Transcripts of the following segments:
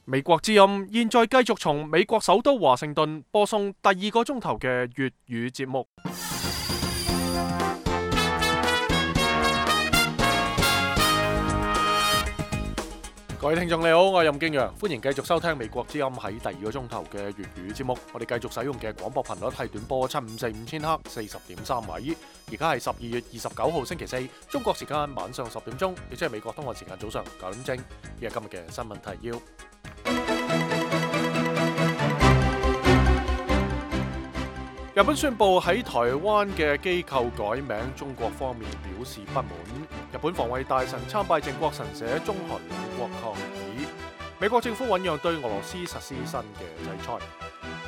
美國之音現在繼續從美國首都華盛頓播送第二個鐘頭嘅粵語節目。各位聽眾你好，我係任敬陽，歡迎繼續收聽美國之音喺第二個鐘頭嘅粵語節目。我哋繼續使用嘅廣播頻率係短波7545千赫40.3米。而家係12月29號星期四，中國時間晚上10點鐘，亦即係美國東岸時間早上9點正。呢係今日嘅新聞提要。日本宣布喺台灣嘅機構改名，中國方面表示不滿。日本防衛大臣參拜靖國神社，中韓兩國抗議。美國政府醞釀對俄羅斯實施新嘅制裁。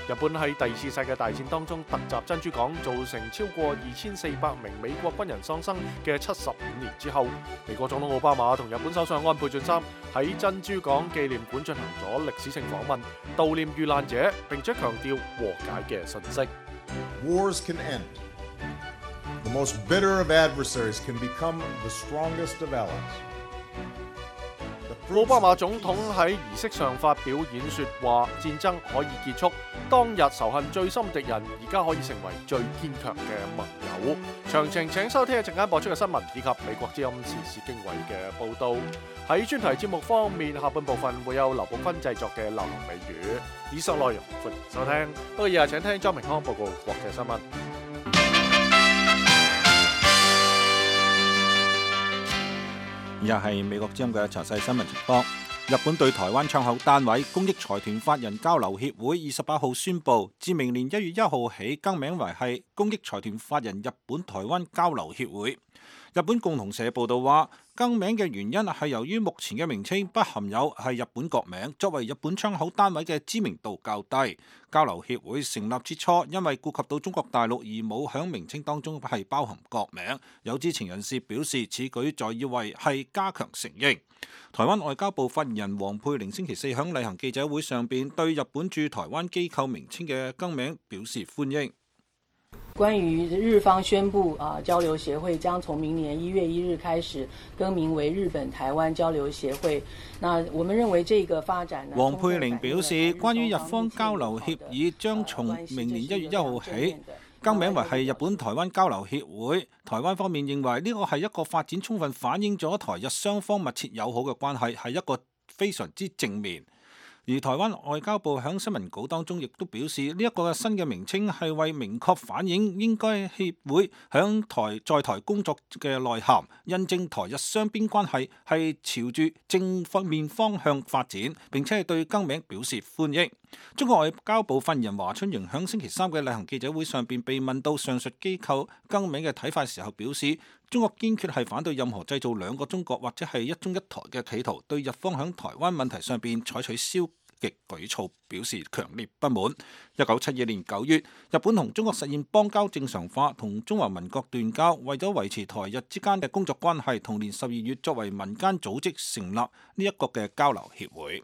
日本喺第二次世界大戰當中突襲珍珠港，造成超過2400名美國軍人喪生嘅75年之後，美國總統奧巴馬同日本首相安倍晉三喺珍珠港紀念館進行咗歷史性訪問，悼念遇難者，並且強調和解嘅訊息。Wars can end. The most bitter of adversaries can become the strongest of allies. 奧巴馬總統喺儀式上發表演說，話戰爭可以結束，當日仇恨最深敵人而家可以成為最堅強嘅盟友。詳情請收聽一陣間播出嘅新聞以及美國之音時事經緯嘅報道。喺專題節目方面，下半部分會有劉寶坤製作嘅流行美語。以上內容歡迎收聽。不過以下請聽莊明康報告國際新聞。以下係美國之音嘅詳細新聞情況。日本對台灣窗口單位公益財團法人交流協會28號宣布，自明年1月1號起更名為係公益財團法人日本台灣交流協會。日本共同社報道話，更名嘅原因係由於目前嘅名稱不含有係日本國名，作為日本窗口單位嘅知名度較低。交流協會成立之初，因為顧及到中國大陸而冇響名稱當中係包含國名。有知情人士表示，此舉在以為係加強承認。台灣外交部發言人黃佩玲星期四響例行記者會上邊對日本駐台灣機構名稱嘅更名表示歡迎。關於日方宣布交流協會將從明年1月1日開始更名為日本台灣交流協會。那我們認為這個發展呢，黃佩玲表示，關於日方交流協議將從明年1月1號起更名為係日本台灣交流協會，台灣方面認為呢個係一個發展充分反映咗台日雙方密切友好嘅關係，係一個非常之正面。而台灣外交部喺新聞稿當中亦都表示，呢一個新嘅名稱係為明確反映應該協會喺在台工作嘅內涵，印證台日雙邊關係係朝住正面方向發展，並且係對更名表示歡迎。中國外交部發言人華春瑩喺星期三嘅例行記者會上邊被問到上述機構更名嘅睇法時候，表示中國堅決係反對任何製造兩個中國或者係一中一台嘅企圖，對日方喺台灣問題上邊採取消極舉措表示強烈不滿。1972年9月，日本同中國實現邦交正常化，同中華民國斷交，為咗維持台日之間嘅工作關係，同年12月作為民間組織成立呢一個嘅交流協會。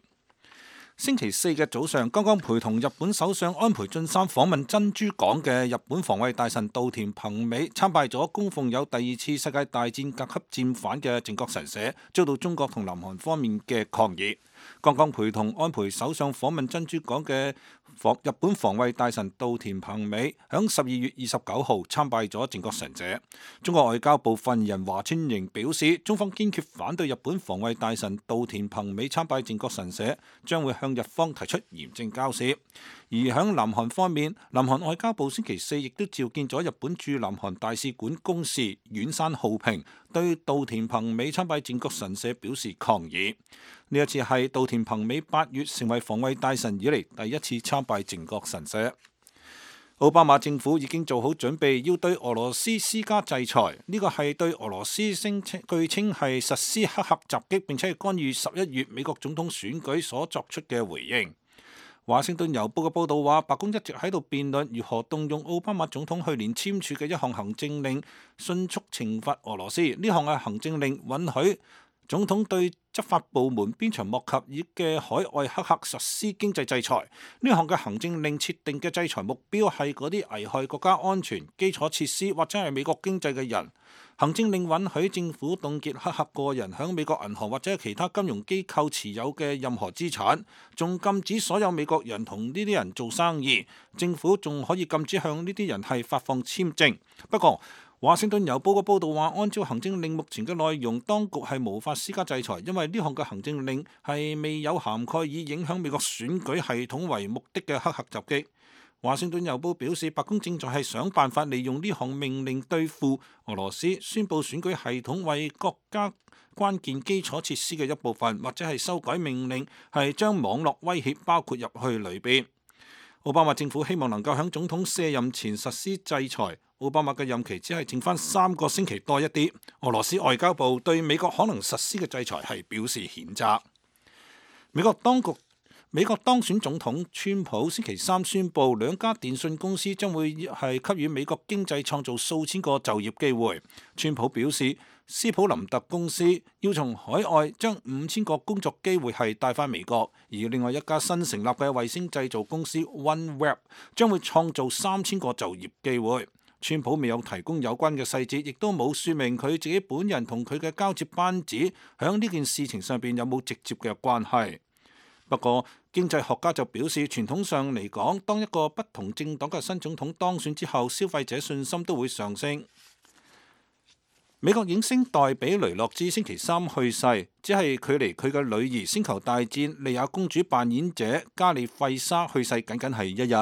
星期四嘅早上，剛剛陪同日本首相安倍晉三訪問珍珠港嘅日本防衛大臣稻田朋美參拜咗供奉有第二次世界大戰甲級戰犯嘅靖國神社，遭到中國同南韓方面嘅抗議。剛剛陪同安倍首相訪問珍珠港嘅日本防衛大臣稻田朋美響12月29號參拜咗靖國神社。中國外交部發言人華春瑩表示，中方堅決反對日本防衛大臣稻田朋美參拜靖國神社，將會向日方提出嚴正交涉。而響南韓方面，南韓外交部星期四亦都召見咗日本駐南韓大使館公使遠山浩平，對稻田朋美參拜靖國神社表示抗議。呢一次係稻田朋美8月成為防衛大臣以嚟第一次參拜靖國神社。奧巴馬政府已經做好準備，要對俄羅斯施加制裁。呢個係對俄羅斯據稱係實施黑客襲擊，並且係干預11月美國總統選舉所作出嘅回應。華盛頓郵報嘅報導話，白宮一直喺度辯論如何動用奧巴馬總統去年簽署嘅一項行政令，迅速懲罰俄羅斯。呢項嘅行政令允許總統對執法部門鞭長莫及嘅海外黑客實施經濟制裁。呢項嘅行政令設定嘅制裁目標係嗰啲危害國家安全、基礎設施或者係美國經濟嘅人。行政令允許政府凍結黑客個人響美國銀行或者其他金融機構持有嘅任何資產，仲禁止所有美國人同呢啲人做生意。政府仲可以禁止向呢啲人係發放簽證。不過，華盛頓郵報嘅報導話，按照行政令目前嘅內容，當局係無法施加制裁，因為呢項嘅行政令係未有涵蓋以影響美國選舉系統為目的嘅黑客襲擊。華盛頓郵報表示，白宮正在係想辦法利用呢項命令對付俄羅斯，宣佈選舉系統為國家關鍵基礎設施嘅一部分，或者係修改命令，係將網絡威脅包括入去裏邊。奧巴馬政府希望能夠喺總統卸任前實施制裁。奧巴馬嘅任期只係剩翻3個星期多一啲。俄羅斯外交部對美國可能實施嘅制裁係表示譴責。美國當選總統川普星期3宣布，2家電信公司將會係給予美國經濟創造數千個就業機會。川普表示，斯普林特公司要從海外將5000個工作機會係帶返美國，而另外一家新成立嘅衛星製造公司 OneWeb 將會創造3000個就業機會。川普未有提供有關嘅細節，亦都冇說明佢自己本人同佢嘅交接班子響呢件事情上邊有冇直接嘅關係。不過，經濟學家就表示，傳統上嚟講，當一個不同政黨嘅新總統當選之後，消費者信心都會上升。美國影星黛比雷諾茲星期3去世，只係距離佢嘅女兒星球大戰莉亞公主扮演者加里費莎去世僅僅係一日。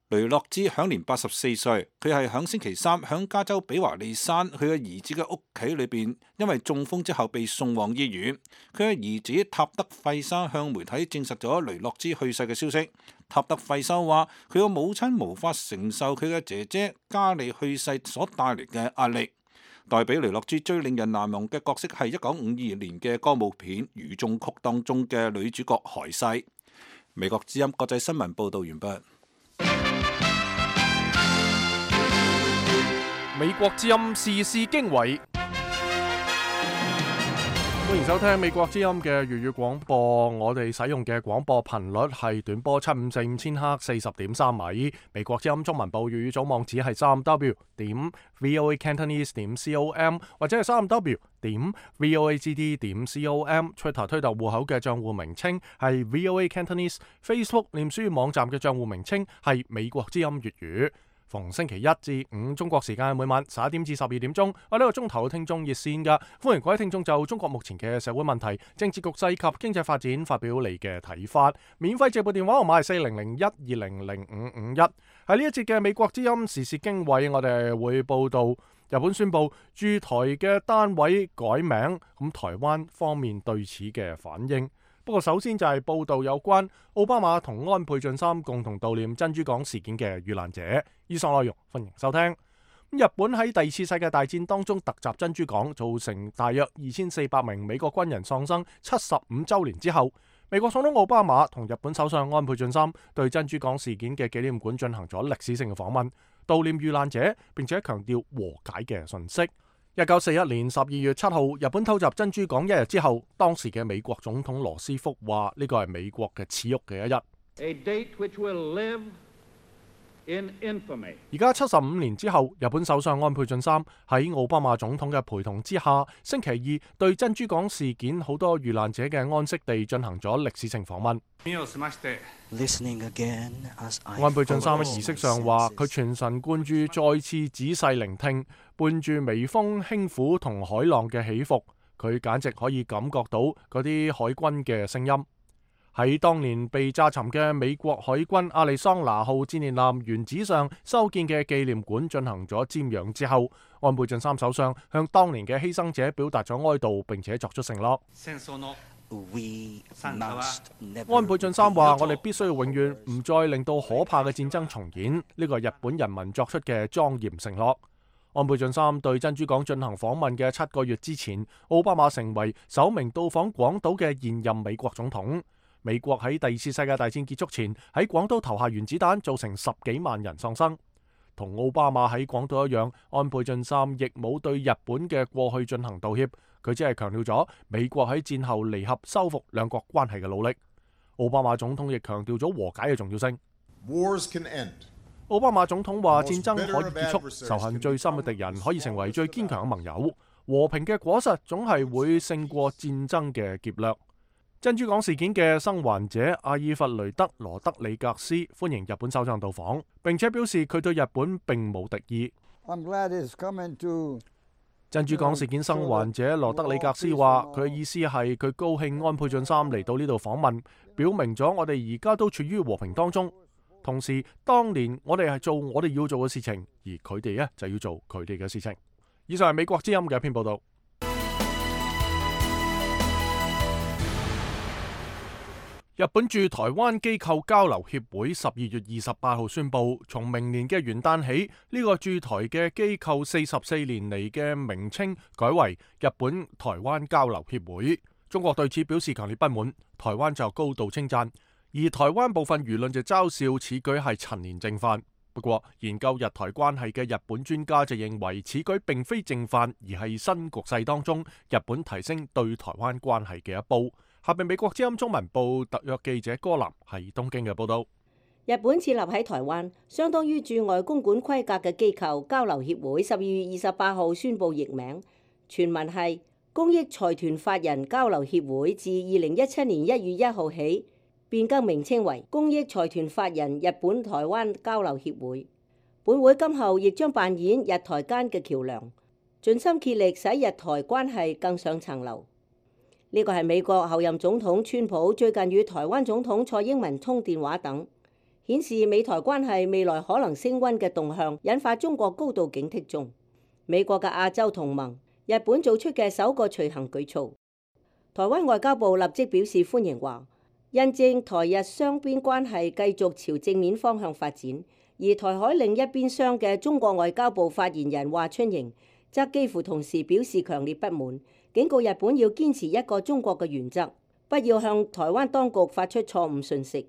雷諾茲享年84歲，佢係響星期3響加州比華利山佢嘅兒子嘅屋企裏邊，因為中風之後被送往醫院。佢嘅兒子塔德費莎向媒體證實咗雷諾茲去世嘅消息。塔德費莎話：佢個母親無法承受佢嘅姐姐加里去世所帶嚟嘅壓力。黛比雷諾茲最令人難忘嘅角色係1952年嘅歌舞片《雨中曲》當中嘅女主角海西。美國之音國際新聞報道完畢。美國之音時事經緯，歡迎收聽美國之音嘅粵語廣播。我哋使用嘅廣播頻率係短波754千赫40.3米。美國之音中文部粵語組網址係3w.voacantonese.com 或者係3w.voagd.com。Twitter 推特戶口嘅賬戶名稱係 VOA Cantonese。Facebook 臉書網站嘅賬戶名稱係美國之音粵語。逢星期1至5中國時間每晚11點至12點鐘，我呢個鐘頭嘅聽眾熱線㗎，歡迎各位聽眾就中國目前嘅社會問題、政治局勢及經濟發展發表你嘅睇法。免費直撥電話號碼係4001200551。喺呢一節嘅美國之音時事經緯，我哋會報道日本宣布駐台嘅單位改名，咁台灣方面對此嘅反應。不過首先就係報道有關奧巴馬同安倍晉三共同悼念珍珠港事件嘅遇難者。以上內容歡迎收聽。日本喺第二次世界大戰當中突襲珍珠港，造成大約2400名美國軍人喪生。75週年之後，美國總統奧巴馬同日本首相安倍晉三對珍珠港事件嘅紀念館進行咗歷史性嘅訪問，悼念遇難者，並且強調和解嘅訊息。1941年12月7號，日本偷襲珍珠港一日之後，當時嘅美國總統羅斯福話：呢個係美國嘅恥辱嘅一日。而家75年之後，日本首相安倍晉三喺奧巴馬總統嘅陪同之下，星期二對珍珠港事件好多遇難者嘅安息地進行咗歷史性訪問。安倍晉三喺儀式上話：佢全神貫注，再次仔細聆聽，伴住微風輕撫同海浪嘅起伏，佢簡直可以感覺到嗰啲海軍嘅聲音。喺當年被炸沉嘅美國海軍亞利桑那號戰列艦原址上修建嘅紀念館進行咗瞻仰之後，安倍晉三首相向當年嘅犧牲者表達咗哀悼，並且作出承諾。安倍晉三話：我哋必須要永遠唔再令到可怕嘅戰爭重演，呢個係日本人民作出嘅莊嚴承諾。安倍晉三對珍珠港進行訪問嘅7個月之前，奧巴馬成為首名到訪廣島嘅現任美國總統。美國喺第二次世界大戰結束前喺廣島投下原子彈，造成10幾萬人喪生。同奧巴馬喺廣島一樣，安倍晉三亦冇對日本嘅過去進行道歉，佢只係強調咗美國喺戰後彌合修復兩國關係嘅努力。奧巴馬總統亦強調咗和解嘅重要性。Wars can end. 奧巴馬總統話：戰爭可以結束，仇恨最深嘅敵人可以成為最堅強嘅盟友，和平嘅果實總係會勝過戰爭嘅劫掠。珍珠港事件嘅生還者阿爾弗雷德羅德里格斯歡迎日本首相到訪，並且表示佢對日本並冇敵意。珍珠港事件生還者羅德里格斯話：佢嘅意思係佢高興安倍晉三嚟到呢度訪問，表明咗我哋而家都處於和平當中。同時，當年我哋係做我哋要做嘅事情，而佢哋呢就要做佢哋嘅事情。以上係美國之音嘅一篇報道。日本駐台灣機構交流協會12月28號宣布，從明年嘅元旦起，呢個駐台嘅機構44年嚟嘅名稱改為日本台灣交流協會。中國對此表示強烈不滿，台灣就高度稱讚，而台灣部分輿論就嘲笑此舉係陳年正犯。不過，研究日台關係嘅日本專家就認為，此舉並非正犯，而係新局勢當中日本提升對台灣關係嘅一步。下邊美國之音中文部特約記者柯南喺東京嘅報道。日本設立喺台灣，相當於駐外公館規格嘅機構交流協會12月28號宣布易名，全文係公益財團法人交流協會，自2017年1月1號起變更名稱為公益財團法人日本台灣交流協會。本會今後亦將扮演日台間嘅橋梁，盡心竭力使日台關係更上層樓。呢個係美國後任總統川普最近與台灣總統蔡英文通電話等，顯示美台關係未來可能升溫嘅動向，引發中國高度警惕中。美國嘅亞洲同盟日本做出嘅首個隨行舉措，台灣外交部立即表示歡迎，話印證台日雙邊關係繼續朝正面方向發展。而台海另一邊廂嘅中國外交部發言人華春瑩則幾乎同時表示強烈不滿，警告日本要堅持一個中國嘅原則，不要向台灣當局發出錯誤訊息。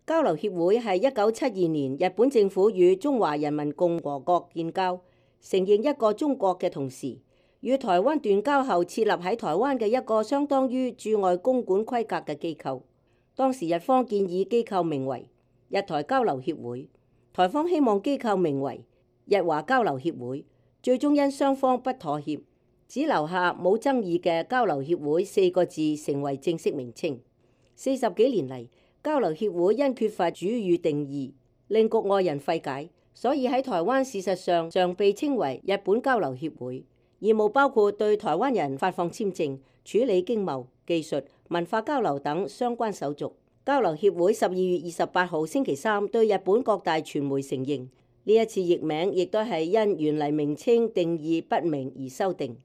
交流協會係1972年日本政府與中華人民共和國建交，承認一個中國嘅同時，與台灣斷交後設立喺台灣嘅一個相當於駐外公館規格嘅機構。當時日方建議機構名為日台交流協會，台方希望機構名為日華交流協會，最終因雙方不妥協，只留下冇爭議嘅交流協會4個字成為正式名稱。40幾年嚟，交流協會因缺乏主語定義，令局外人費解，所以喺台灣事實上常被稱為日本交流協會。業務包括對台灣人發放簽證、處理經貿、技術、文化交流等相關手續。交流協會12月28號星期三對日本各大傳媒承認，呢一次譯名亦都係因原嚟名稱定義不明而修訂。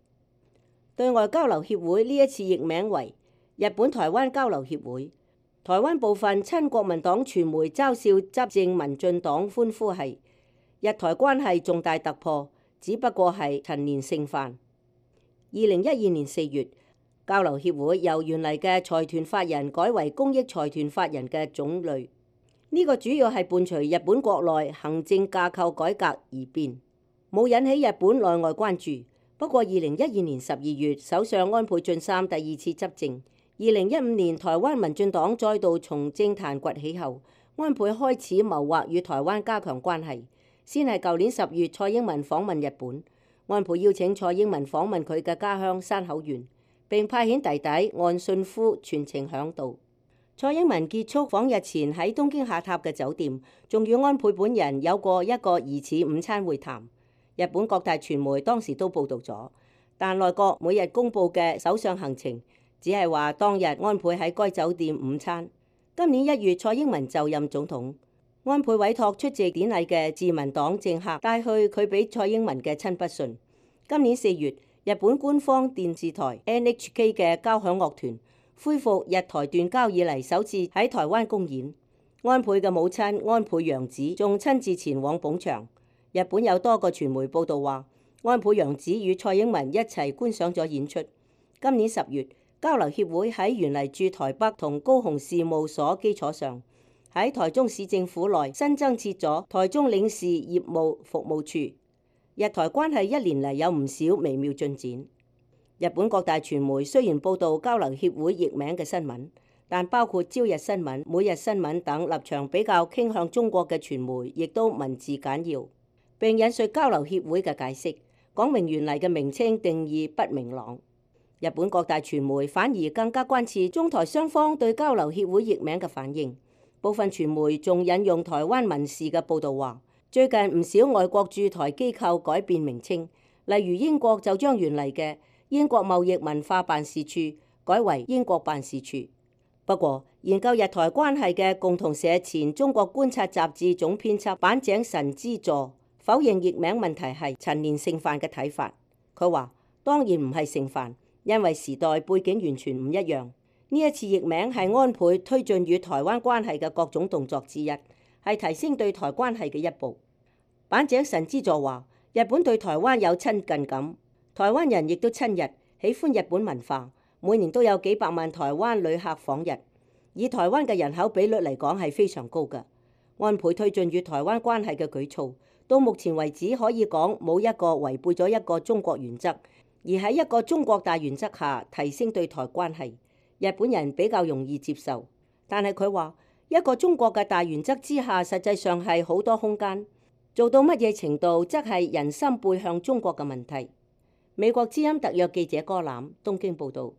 對外交流協會呢一次譯名為日本台灣交流協會。台灣部分親國民黨傳媒嘲笑執政民進黨，歡呼係日台關係重大突破，只不過係陳年盛犯。2012年4月，交流協會由原嚟嘅財團法人改為公益財團法人嘅種類，呢個主要係伴隨日本國內行政架構改革而變，冇引起日本內外關注。不過2012年12月，首相安倍晉三第2次執政，2015年台灣民進黨再度從政壇崛起後，安倍開始謀劃與台灣加強關係。先係舊年10月，蔡英文訪問日本，安倍邀請蔡英文訪問佢嘅家鄉山口縣，並派遣弟弟岸信夫全程響導。蔡英文結束訪日前喺東京下榻嘅酒店，仲與安倍本人有過一個疑似午餐會談。日本各大傳媒當時都報導咗，但內閣每日公佈嘅首相行程只係話當日安倍喺該酒店午餐。今年1月，蔡英文就任總統，安倍委託出席典禮嘅自民黨政客帶去佢俾蔡英文嘅親筆信。今年4月，日本官方電視台 NHK 嘅交響樂團恢復日台斷交以嚟首次喺台灣公演，安倍嘅母親安倍洋子仲親自前往捧場。日本有多個傳媒報道話，安倍洋子與蔡英文一齊觀賞咗演出。今年10月，交流協會喺原嚟駐台北同高雄事務所基礎上，喺台中市政府內新增設咗台中領事業務服務處。日台關係一年嚟有唔少微妙進展。日本各大傳媒雖然報導交流協會譯名嘅新聞，但包括朝日新聞、每日新聞等立場比較傾向中國嘅傳媒，亦都文字簡要，並引述交流協會嘅解釋，講明原嚟嘅名稱定義不明朗。日本各大傳媒反而更加關切中台雙方對交流協會譯名嘅反應。部分傳媒仲引用台灣民視嘅報導話，最近唔少外國駐台機構改變名稱，例如英國就將原嚟嘅英國貿易文化辦事處改為英國辦事處。不過，研究日台關係嘅共同社前中國觀察雜誌總編輯坂井神之助否認譯名問題係陳年盛範嘅睇法。佢話：當然唔係盛範，因為時代背景完全唔一樣。呢一次譯名係安倍推進與台灣關係嘅各種動作之一，係提升對台關係嘅一步。坂井神之助話：日本對台灣有親近感，台灣人亦都親日，喜歡日本文化。每年都有幾百萬台灣旅客訪日，以台灣嘅人口比率嚟講係非常高嘅。安倍推進與台灣關係嘅舉措，到目前為止可以講冇一個違背咗一個中國原則，而喺一個中國大原則下提升對台關係，日本人比較容易接受。但係佢話一個中國嘅大原則之下，實際上係好多空間，做到乜嘢程度則係人心背向中國嘅問題。美國之音特約記者柯攬東京報導。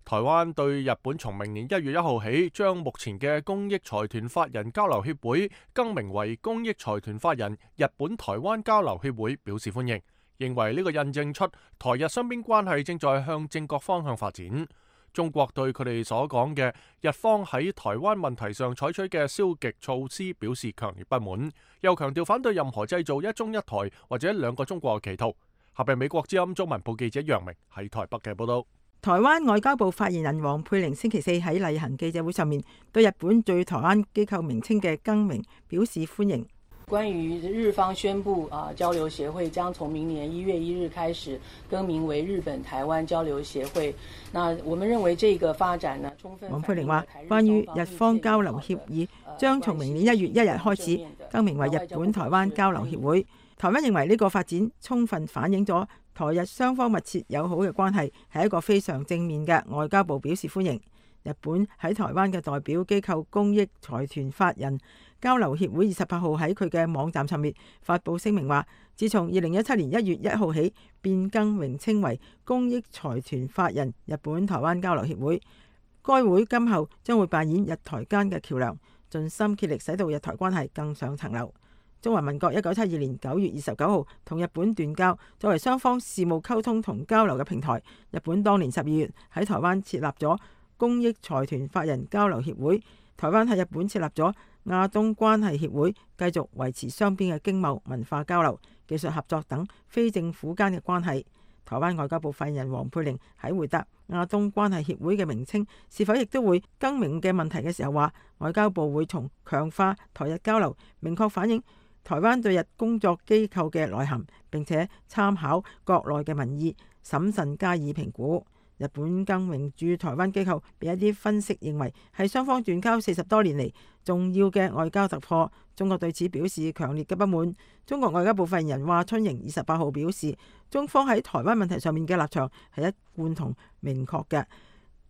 台灣對日本從明年1月1號起，將目前嘅公益財團法人交流協會更名為公益財團法人日本台灣交流協會表示歡迎，認為呢個印證出台日雙邊關係正在向正確方向發展。中國對佢哋所講嘅日方喺台灣問題上採取嘅消極措施表示強烈不滿，又強調反對任何製造一中一台或者兩個中國嘅企圖。下邊美國之音中文部記者楊明喺台北嘅報道。台灣外交部發言人黃佩玲星期四喺例行記者會上面對日本對台灣機構名稱嘅更名表示歡迎。關於日方宣布交流協會將從明年1月1日開始更名為日本台灣交流協會，那我們認為這個發展呢，充分。黃佩玲話：關於日方交流協議將從明年1月1日開始更名為日本台灣交流協會，台灣認為呢個發展充分反映咗台日雙方密切友好嘅關係，係一個非常正面嘅。外交部表示歡迎。日本喺台灣嘅代表機構公益財團法人交流協會28號喺佢嘅網站上面發布聲明話，自從2017年1月1號起變更名稱為公益財團法人日本台灣交流協會，該會今後將會扮演日台間嘅橋梁，盡心竭力使到日台關係更上層樓。中華民國1972年9月29號同日本斷交，作為雙方事務溝通同交流嘅平台，日本當年12月喺台灣設立咗公益財團法人交流協會，台灣喺日本設立咗亞東關係協會，繼續維持雙邊嘅經貿、文化交流、技術合作等非政府間嘅關係。台灣外交部發言人黃佩玲喺回答亞東關係協會嘅名稱是否亦都會更名嘅問題嘅時候話，外交部會從強化台日交流，明確反映台灣對日工作機構嘅內涵，並且參考國內嘅民意，審慎加以評估。日本更名駐台灣機構被一啲分析認為係雙方斷交40多年嚟重要嘅外交突破，中國對此表示強烈嘅不滿。中國外交部發言人華春瑩28號表示，中方喺台灣問題上面嘅立場係一貫同明確嘅。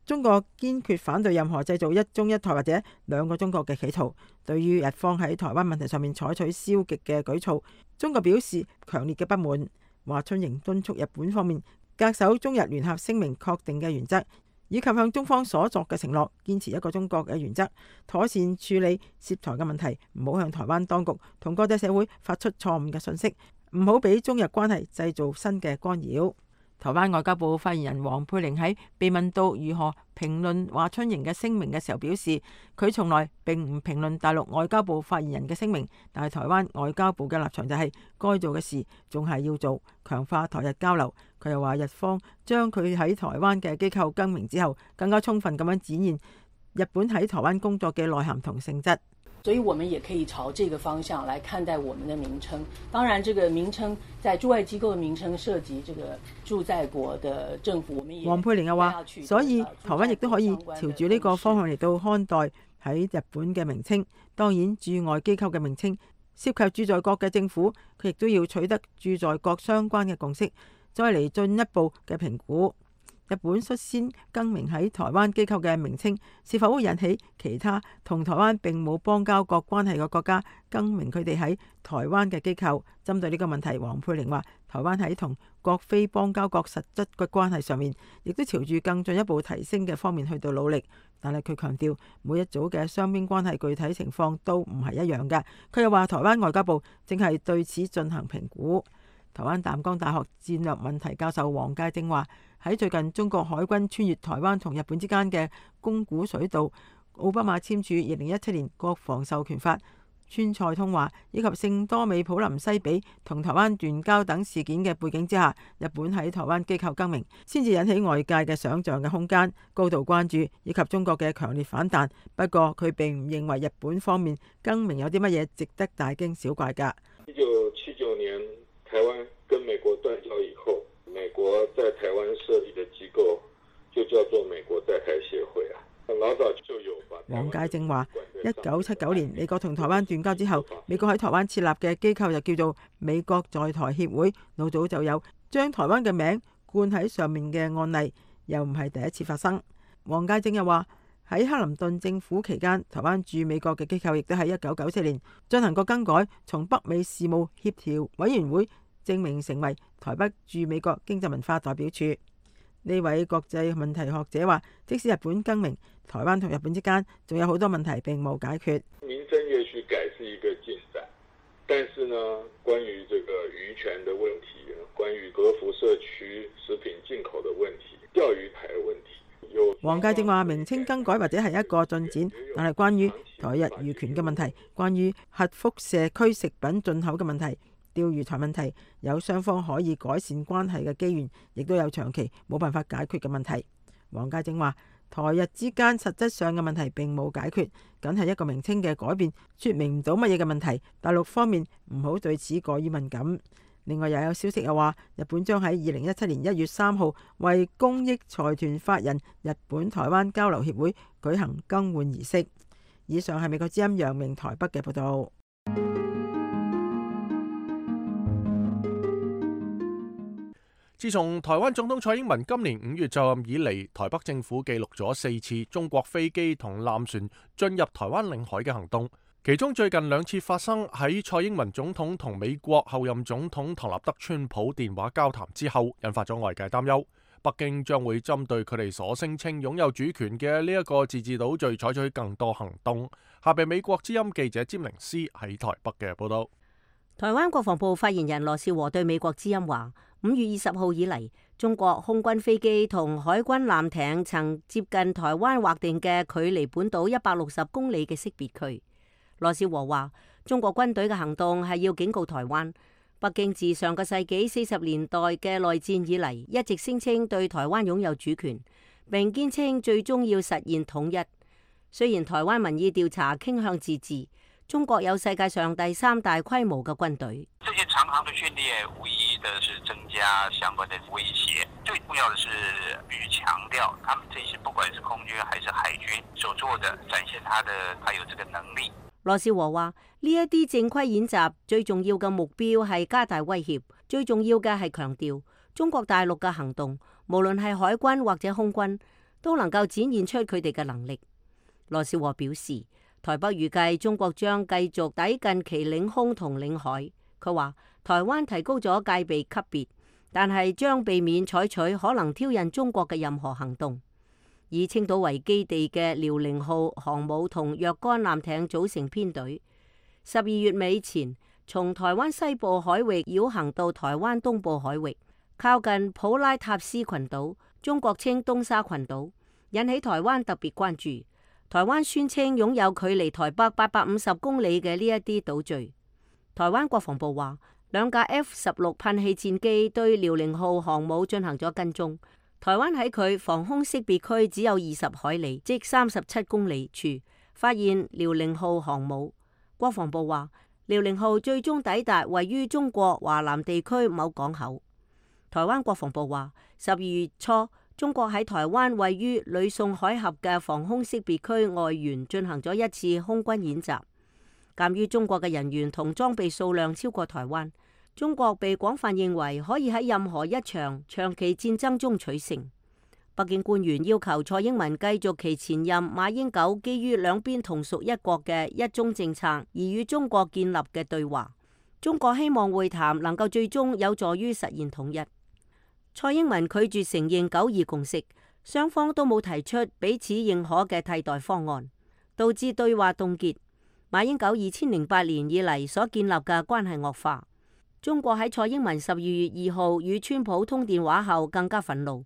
中國堅決反對任何製造一中一台或者兩個中國嘅企圖。對於日方喺台灣問題上面採取消極嘅舉措，中國表示強烈嘅不滿。華春瑩敦促日本方面恪守中日聯合聲明確定嘅原則，以及向中方所作嘅承諾，堅持一個中國嘅原則，妥善處理涉台嘅問題，唔好向台灣當局同國際社會發出錯誤嘅信息，唔好俾中日關係製造新嘅干擾。台灣外交部發言人黃佩玲喺被問到如何評論華春瑩嘅聲明嘅時候表示，佢從來並唔評論大陸外交部發言人嘅聲明，但係台灣外交部嘅立場就係該做嘅事仲係要做，強化台日交流。佢又話日方將佢喺台灣嘅機構更名之後，更加充分咁樣展現日本喺台灣工作嘅內涵同性質。所以我們也可以朝這個方向來看待我們的名稱。當然，這個名稱在駐外機構的名稱涉及這個駐在國的政府，我們也。黃佩玲又話，所以台灣亦都可以朝住呢個方向嚟到看待喺日本嘅名稱。當然，駐外機構嘅名稱涉及駐在國嘅政府，佢亦都要取得駐在國相關嘅共識，再嚟進一步嘅評估。日本率先更名喺台灣機構嘅名稱，是否會引起其他同台灣並冇邦交國關係嘅國家更名佢哋喺台灣嘅機構？針對呢個問題，黃佩玲話：台灣喺同各非邦交國實質嘅關係上面，亦都朝住更進一步提升嘅方面去到努力。但係佢強調，每一組嘅雙邊關係具體情況都唔係一樣嘅。佢又話：台灣外交部正係對此進行評估。台灣淡江大學戰略問題教授黃介正話：喺最近中國海軍穿越台灣同日本之間嘅宮古水道，奧巴馬簽署2017年國防授權法、川菜通話以及聖多美普林西比同台灣斷交等事件嘅背景之下，日本喺台灣機構更名，先至引起外界嘅想像嘅空間、高度關注以及中國嘅強烈反彈。不過佢並唔認為日本方面更名有啲乜嘢值得大驚小怪㗎。1979年台灣跟美國斷交以後，美國在台灣設立的機構就叫做美國在台協會啊，老早就有。黃介正話：1979年美國同台灣斷交之後，美國喺台灣設立嘅機構就叫做美國在台協會，老早就有將台灣嘅名冠喺上面嘅案例，又唔係第一次發生。黃介正又話：喺克林頓政府期間，台灣駐美國嘅機構亦都喺1994年進行過更改，從北美事務協調委員會正名成為台北駐美國經濟文化代表處。呢位國際問題學者話：即使日本更名，台灣同日本之間仲有好多問題並冇解決。名稱也許改是一個進展，但是呢，關於這個漁權的問題，關於核輻射區食品進口的問題，釣魚台的問題，黃介正話：名稱更改或者係一個進展，但係關於台日漁權嘅問題，關於核輻射區食品進口嘅問題，釣魚台問題，有雙方可以改善關係嘅機緣，亦都有長期冇辦法解決嘅問題。黃介正話：台日之間實質上嘅問題並冇解決，僅係一個名稱嘅改變，説明唔到乜嘢嘅問題。大陸方面唔好對此過於敏感。另外又有消息又話，日本將喺2017年1月3號為公益財團法人日本台灣交流協會舉行更換儀式。以上係美國之音楊明台北嘅報導。自從台灣總統蔡英文今年5月就任以嚟，台北政府記錄咗4次中國飛機同艦船進入台灣領海嘅行動，其中最近2次發生喺蔡英文總統同美國後任總統唐納德川普電話交談之後，引發咗外界擔憂，北京將會針對佢哋所聲稱擁有主權嘅呢一個自治島嶼採取更多行動。下邊美國之音記者詹寧斯喺台北嘅報道。台灣國防部發言人羅仕和對美國之音話：5月20號以嚟，中國空軍飛機同海軍艦艇曾接近台灣劃定嘅距離本島160公里嘅識別區。羅仕和話：中國軍隊嘅行動係要警告台灣，北京自上個世紀40年代嘅內戰以嚟，一直聲稱對台灣擁有主權，並堅稱最終要實現統一。雖然台灣民意調查傾向自治，中國有世界上第3大規模嘅軍隊。這些長航的訓練無疑的是增加相關的威脅，最重要的是必須強調，他們這些不管是空軍還是海軍所做的，展現他有這個能力。羅仕和話：呢一啲正規演習最重要嘅目標係加大威脅，最重要嘅係強調中國大陸嘅行動，無論係海軍或者空軍，都能夠展現出佢哋嘅能力。羅仕和表示，台北預計中國將繼續抵近其領空同領海。佢話台灣提高咗戒備級別，但係將避免採取可能挑釁中國嘅任何行動。以青島為基地嘅遼寧號航母同若干艦艇組成編隊，12月尾前從台灣西部海域繞行到台灣東部海域，靠近普拉塔斯群島，中國稱東沙群島，引起台灣特別關注。台灣宣稱擁有距離台北850公里嘅呢一啲島嶼。台灣國防部話，2架 F-16噴氣戰機對遼寧號航母進行咗跟蹤。台灣喺佢防空識別區只有20海里，即37公里處發現遼寧號航母。國防部話，遼寧號最終抵達位於中國華南地區某港口。台灣國防部話，12月初，中國喺台灣位於呂宋海峽嘅防空識別區外緣進行咗一次空軍演習。鑑於中國嘅人員同裝備數量超過台灣，中國被廣泛認為可以喺任何一場長期戰爭中取勝。北京官員要求蔡英文繼續其前任馬英九基於兩邊同屬一國嘅一中政策而與中國建立嘅對話。中國希望會談能夠最終有助於實現統一。蔡英文拒絕承認9·2共識，雙方都冇提出彼此認可嘅替代方案，導致對話凍結。馬英九2008年以嚟所建立嘅關係惡化。中國喺蔡英文12月2號與川普通電話後更加憤怒，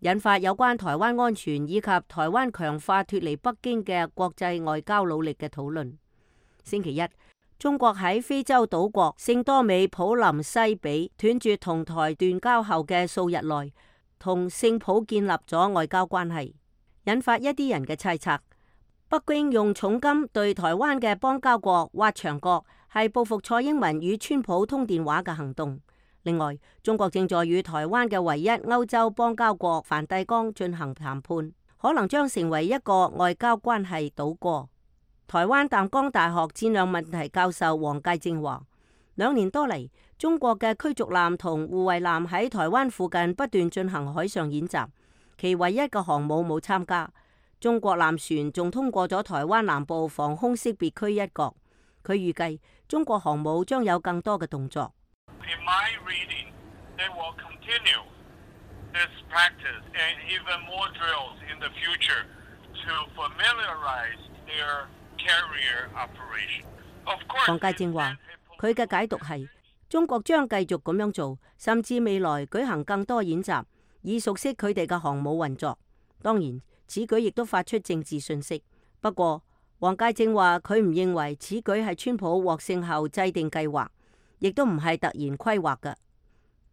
引發有關台灣安全以及台灣強化脫離北京嘅國際外交努力嘅討論。星期一，中國喺非洲島國聖多美普林西比斷絕同台斷交後嘅數日內，同聖普建立咗外交關係，引發一啲人嘅猜測。北京用重金對台灣嘅邦交國挖牆角，係報復蔡英文與川普通電話嘅行動。另外，中國正在與台灣嘅唯一歐洲邦交國梵蒂岡進行談判，可能將成為一個外交關係倒過。台灣淡江大學戰略問題教授黃介正話，2年多嚟，中國嘅驅逐艦同護衛艦喺台灣附近不斷進行海上演習，其唯一嘅航母冇參加。中國艦船仲通過咗台灣南部防空識別區一角。佢預計中國航母將有更多嘅動作。In my reading, they will continue this practice and even more drills in the future to familiarize their carrier operation. Of course, 黃介正話，佢嘅解讀係中國將繼續咁樣做，甚至未來舉行更多演習，以熟悉佢哋嘅航母運作。當然，此舉亦都發出政治訊息。不過，黃介正話佢唔認為此舉係川普獲勝後制定計劃，亦都唔係突然規劃嘅。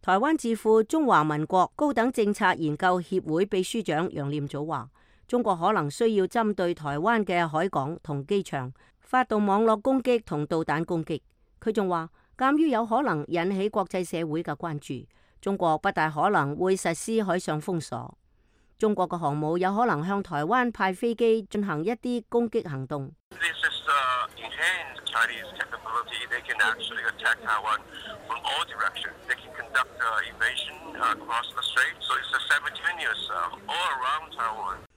台灣智庫中華民國高等政策研究協會秘書長楊念祖話，中國可能需要針對台灣嘅海港同機場發動網絡攻擊同導彈攻擊。佢仲話，鑑於有可能引起國際社會嘅關注，中國不大可能會實施海上封鎖。中國嘅航母有可能向台灣派飛機進行一啲攻擊行動。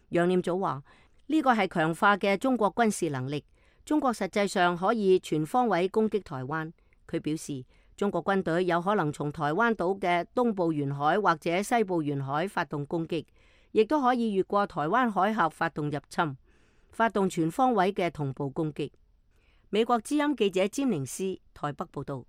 楊念祖話：呢個係強化嘅中國軍事能力，中國實際上可以全方位攻擊台灣。佢表示，中國軍隊有可能從台灣島嘅東部沿海或者西部沿海發動攻擊。亦都可以越過台灣海峽發動入侵，發動全方位嘅同步攻擊。美國之音記者詹寧斯台北報導。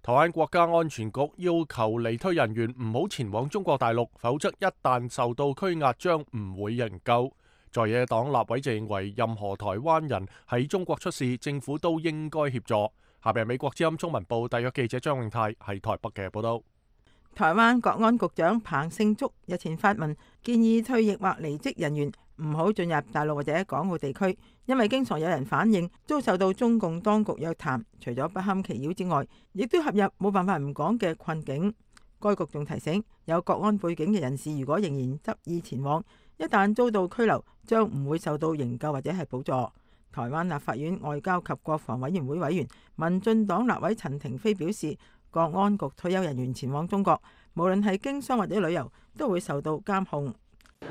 台灣國家安全局要求離退人員唔好前往中國大陸，否則一旦受到拘押將唔會營救。在野黨立委就認為，任何台灣人喺中國出事，政府都應該協助。下邊美國之音中文部特約記者張永泰喺台北嘅報道。台灣國安局長彭勝竹日前發文建議退役或離職人員唔好進入大陸或者港澳地區，因為經常有人反映遭受到中共當局約談，除咗不堪其擾之外，亦都陷入冇辦法唔講嘅困境。該局仲提醒有國安背景嘅人士，如果仍然執意前往，一旦遭到拘留，將唔會受到營救或者係補助。台灣立法院外交及國防委員會委員民進黨立委陳亭妃表示，國安局退休人員前往中國，無論係經商或者旅遊，都會受到監控。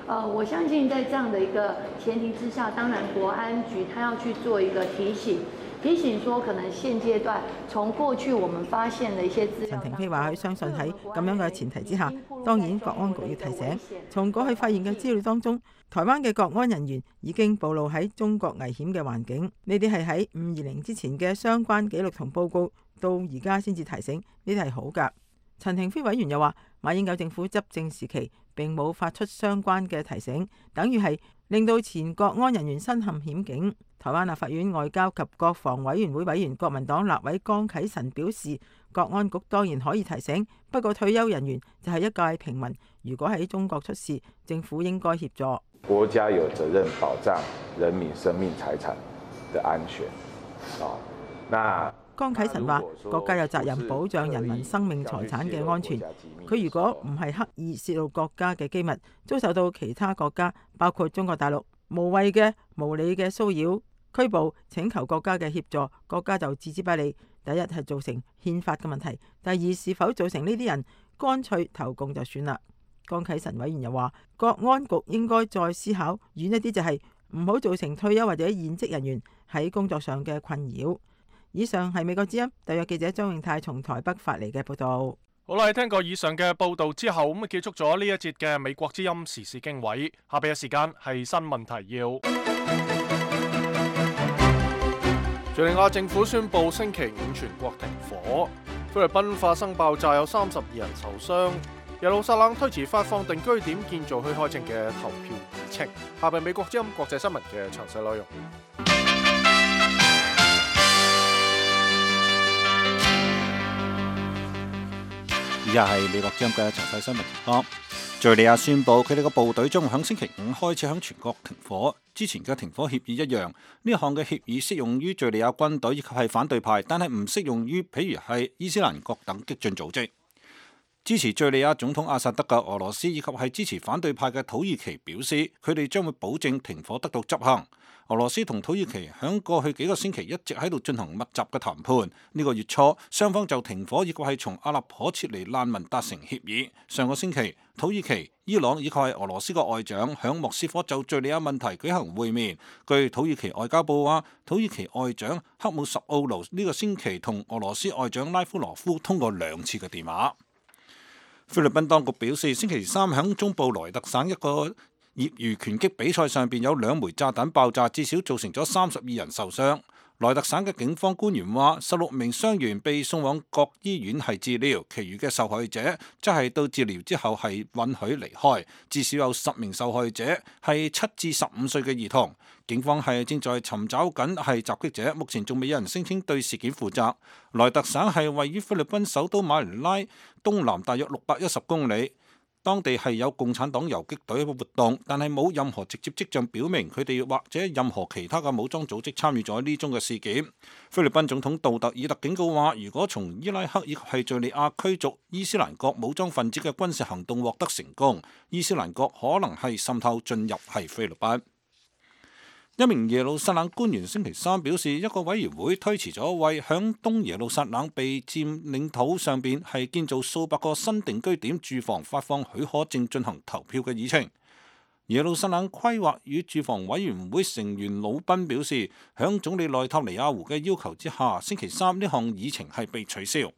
我相信在這樣的一個前提之下，當然國安局他要去做一個提醒說可能現階段從過去我們發現的一些資料。陳亭妃話佢相信喺咁樣嘅前提之下，當然國安局要提醒，從過去發現嘅資料當中，台灣嘅國安人員已經暴露喺中國危險嘅環境。呢啲係喺520之前嘅相關記錄同報告，到而家先至提醒，呢啲係好㗎。陳亭妃委員又話，馬英九政府執政時期並冇發出相關嘅提醒，等於係令到前國安人員身陷險境。台灣立法院外交及國防委員會委員國民黨立委江啟臣表示，國安局當然可以提醒，不過退休人員就係一介平民，如果喺中國出事，政府應該協助。國家有責任保障人民生命財產的安全。那江啟臣話，國家有責任保障人民生命財產嘅安全。佢如果唔係刻意泄露國家嘅機密，遭受到其他國家，包括中國大陸無謂嘅無理嘅騷擾、拘捕、請求國家嘅協助，國家就置之不理。第一係造成憲法嘅問題，第二是否造成呢啲人乾脆投共就算啦。江啟臣委員又話，國安局應該再思考遠一啲，就係唔好造成退休或者現職人員喺工作上嘅困擾。以上係美國之音特約記者張永泰從台北發嚟嘅報道。好啦，聽過以上嘅報道之後，咁結束咗呢一節嘅美國之音時事經緯。下邊嘅時間係新聞提要。敘利亞政府宣布星期五全國停火。菲律賓發生爆炸，有32人受傷。耶路撒冷推遲發放定居點建造許可證嘅投票議程。下邊美國之音國際新聞嘅詳細內容。以下係美國之音嘅詳細新聞情況。敘利亞宣布佢哋嘅部隊將會喺星期五開始喺全國停火。之前嘅停火協議一樣，呢項嘅協議適用於敘利亞軍隊以及係反對派，但係唔適用於譬如係伊斯蘭國等激進組織。支持敘利亞總統阿薩德嘅俄羅斯以及係支持反對派嘅土耳其表示，佢哋將會保證停火得到執行。俄羅斯同土耳其響過去幾個星期一直喺度進行密集嘅談判。呢個月初，雙方就停火以及係從阿勒頗撤離難民達成協議。上個星期，土耳其、伊朗以及係俄羅斯嘅外長響莫斯科就敘利亞問題舉行會面。據土耳其外交部話，土耳其外長克姆什奧盧呢個星期同俄羅斯外長拉夫羅夫通過2次嘅電話。菲律賓當局表示，星期三響中部萊特省一個業餘拳擊比賽上邊有2枚炸彈爆炸，至少造成咗32人受傷。萊特省嘅警方官員話，16名傷員被送往各醫院係治療，其餘嘅受害者則係到治療之後係允許離開。至少有10名受害者係7至15歲嘅兒童。警方係正在尋找緊係襲擊者，目前仲未有人聲稱對事件負責。萊特省係位於菲律賓首都馬尼拉東南大約610公里。當地係有共產黨游擊隊嘅活動，但係冇任何直接跡象表明佢哋或者任何其他嘅武裝組織參與咗呢宗嘅事件。菲律賓總統杜特爾特警告話，如果從伊拉克以及係敘利亞驅逐伊斯蘭國武裝分子嘅軍事行動獲得成功，伊斯蘭國可能係滲透進入係菲律賓。一名耶路撒冷官員星期三表示，一個委員會推遲咗為響東耶路撒冷被佔領土上邊係建造數百個新定居點住房發放許可證進行投票嘅議程。耶路撒冷規劃與住房委員會成員魯賓表示，響總理內塔尼亞胡嘅要求之下，星期三呢項議程係被取消。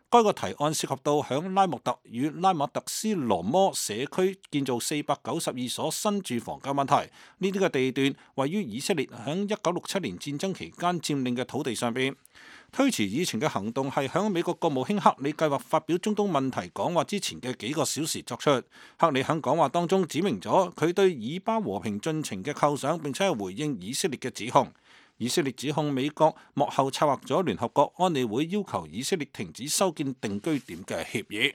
該個提案涉及到響拉莫特與拉馬特斯羅摩社區建造492所新住房嘅問題。呢啲嘅地段位於以色列響1967年戰爭期間佔領嘅土地上邊。推遲議程嘅行動係響美國國務卿克里計劃發表中東問題講話之前嘅幾個小時作出。克里響講話當中指明咗佢對以巴和平進程嘅構想，並且係回應以色列嘅指控。以色列指控美國幕後策劃咗聯合國安理會要求以色列停止修建定居點嘅協議。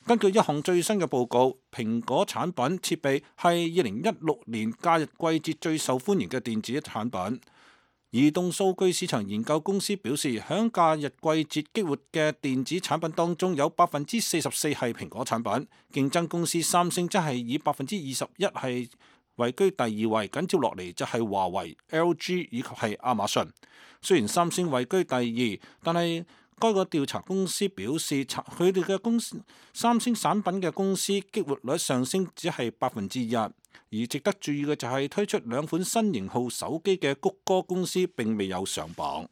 根據一項最新嘅報告，蘋果產品設備係2016年假日季節最受歡迎嘅電子產品。移動數據市場研究公司表示，響假日季節激活嘅電子產品當中，有44%係蘋果產品，競爭公司三星則係以21%係位居第2位，緊接落嚟就係華為、LG 以及係亞馬遜。雖然三星位居第2，但係該個調查公司表示，佢哋嘅公司三星產品嘅公司激活率上升只係1%。而值得注意嘅就係推出2款新型號手機嘅谷歌公司並未有上榜。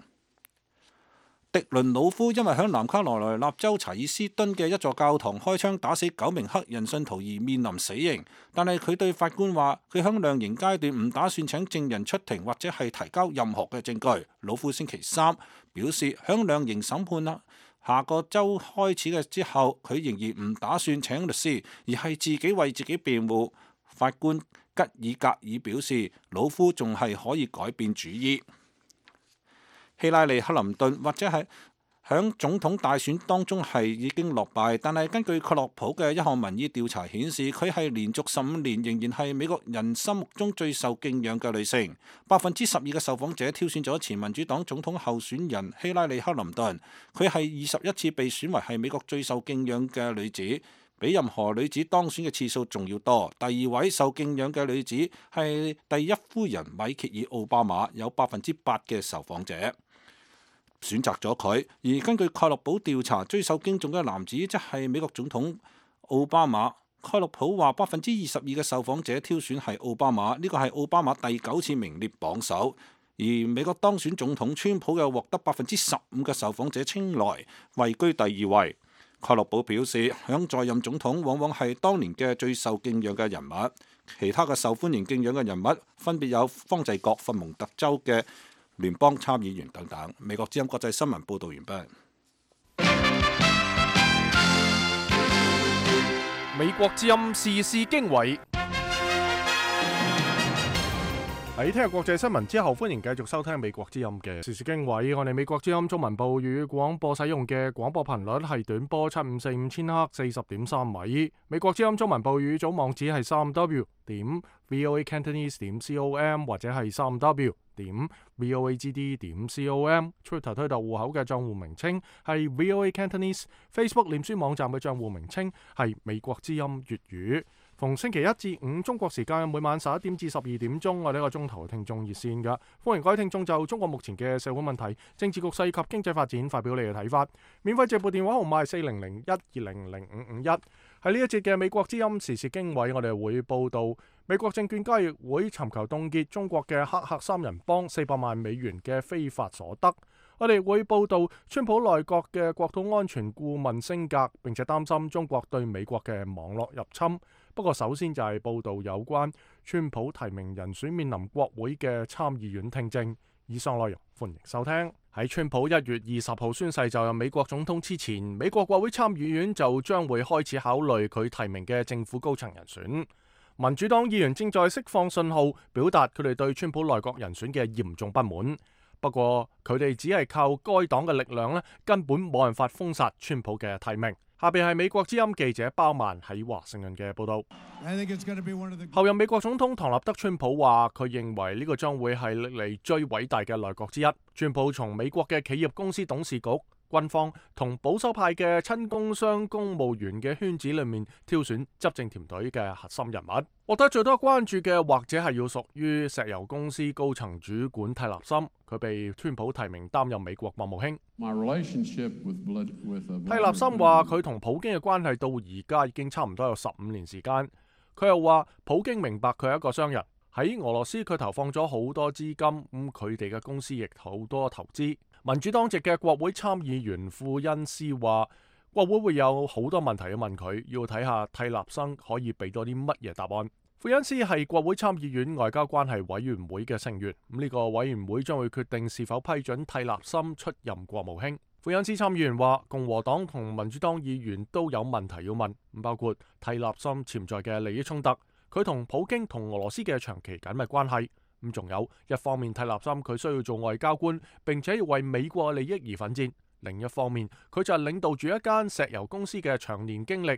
迪倫魯夫因為響南卡羅來納州查爾斯敦嘅一座教堂開槍打死9名黑人信徒而面臨死刑，但係佢對法官話，佢響量刑階段唔打算請證人出庭或者係提交任何嘅證據。魯夫星期三表示，響量刑審判下個週開始嘅之後，佢仍然唔打算請律師，而係自己為自己辯護。法官吉爾格爾表示，老夫仲係可以改變主意。希拉里克林頓或者係響總統大選當中係已經落敗，但係根據克洛普嘅一項民意調查顯示，佢係連續15年仍然係美國人心目中最受敬仰嘅女性。12%嘅受訪者挑選咗前民主黨總統候選人希拉里克林頓，佢係21次被選為係美國最受敬仰嘅女子，比任何女子當選嘅次數仲要多。第二位受敬仰嘅女子係第一夫人米歇爾奧巴馬，有8%嘅受訪者選擇咗佢。而根據蓋洛普調查，最受敬重嘅男子即係美國總統奧巴馬。蓋洛普話22%嘅受訪者挑選係奧巴馬，呢個係奧巴馬第9次名列榜首。而美國當選總統川普又獲得15%嘅受訪者青睞，位居第2位。蓋洛普表示，響在任總統往往係當年嘅最受敬仰嘅人物。其他嘅受歡迎敬仰嘅人物分別有方濟各、佛蒙特州嘅聯邦參議員等等。美國之音國際新聞報導完畢。美國之音時事經緯。喺聽日國際新聞之後，歡迎繼續收聽美國之音嘅時事經緯。我哋美國之音中文部粵語廣播使用嘅廣播頻率係短波7545千赫40.3米。美國之音中文部粵語組網址係3w.voacantonese.com 或者係3w.voagd.com。Twitter 推特戶口嘅賬戶名稱係 VOA Cantonese。Facebook 臉書網站嘅賬戶名稱係美國之音粵語。逢星期一至五中國時間每晚11點至12點鐘，我哋一個鐘頭嘅聽眾熱線㗎，歡迎各位聽眾就中國目前嘅社會問題、政治局勢及經濟發展發表你嘅睇法。免費直播電話號碼係4001200551。喺呢一節嘅美國之音時事經緯，我哋會報道美國證券交易會尋求凍結中國嘅黑客三人幫400萬美元嘅非法所得。我哋會報道川普內閣嘅國土安全顧問升格，並且擔心中國對美國嘅網絡入侵。不過首先就係報道有關川普提名人選面臨國會嘅參議院聽證。以上內容歡迎收聽。喺川普1月20號宣誓就任美國總統之前，美國國會參議院就將會開始考慮佢提名嘅政府高層人選。民主黨議員正在釋放信號，表達佢哋對川普內閣人選嘅嚴重不滿。不過佢哋只係靠該黨嘅力量咧，根本冇辦法封殺川普嘅提名。下邊係美國之音記者包曼喺華盛頓嘅報道。後任美國總統唐納德川普話，佢認為呢個將會係歷嚟最偉大嘅內閣之一。川普從美國嘅企業公司董事局、軍方同保守派嘅親工商公務員嘅圈子裏面挑選執政團隊嘅核心人物。獲得最多關注嘅或者係要屬於石油公司高層主管蒂勒森，佢被川普提名擔任美國國務卿。蒂勒森話佢同普京嘅關係到而家已經差唔多有15年時間。佢又話普京明白佢係一個商人，喺俄羅斯佢投放咗好多資金，佢哋嘅公司亦好多投資。民主黨籍嘅國會參議員庫恩斯話，國會會有好多問題要問佢，要睇下蒂勒森可以俾多啲乜嘢答案。庫恩斯係國會參議院外交關係委員會嘅成員，呢個委員會將會決定是否批准蒂勒森出任國務卿。庫恩斯參議員話，共和黨同民主黨議員都有問題要問，包括蒂勒森潛在嘅利益衝突，佢同普京同俄羅斯嘅長期緊密關係。仲有一方面，蒂勒森佢需要做外交官，並且要為美國利益而奮戰；另一方面，佢就係領導住一間石油公司嘅長年經歷。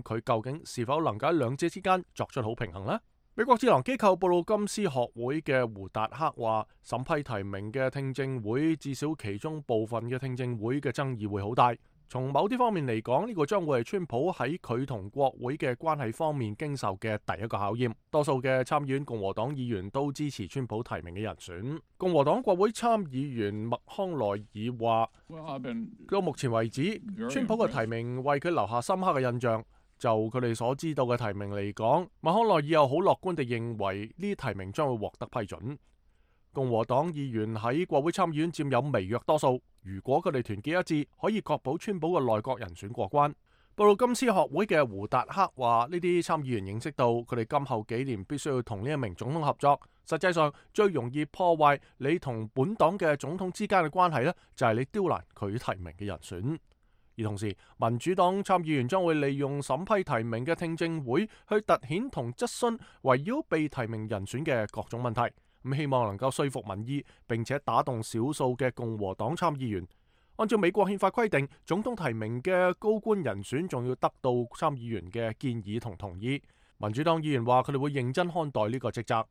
佢究竟是否能夠喺兩者之間作出好平衡呢？美國智囊機構布魯金斯學會嘅胡達克話，審批提名嘅聽證會，至少其中部分嘅聽證會嘅爭議會好大。從某啲方面嚟講，呢個將會係川普喺佢同國會嘅關係方面經受嘅第一個考驗。多數嘅參議院共和黨議員都支持川普提名嘅人選。共和黨國會參議員麥康奈爾話，到目前為止，川普嘅提名為佢留下深刻嘅印象。就佢哋所知道嘅提名嚟講，麥康奈爾又好樂觀地認為呢啲提名將會獲得批准。共和黨議員喺國會參議院佔有微弱多數，如果佢哋團結一致，可以確保川普嘅內閣人選過關。布魯金斯學會嘅胡達克話，呢啲參議員認識到佢哋今後幾年必須要同呢一名總統合作。實際上最容易破壞你同本黨嘅總統之間嘅關係呢，就係你刁難佢提名嘅人選。而同時，民主黨參議員將會利用審批提名嘅聽證會去突顯同質詢圍繞被提名人選嘅各種問題，咁希望能夠說服民意，並且打動少數嘅共和黨參議員。按照美國憲法規定，總統提名嘅高官人選仲要得到參議員嘅建議同同意。民主黨議員話佢哋會認真看待呢個職責。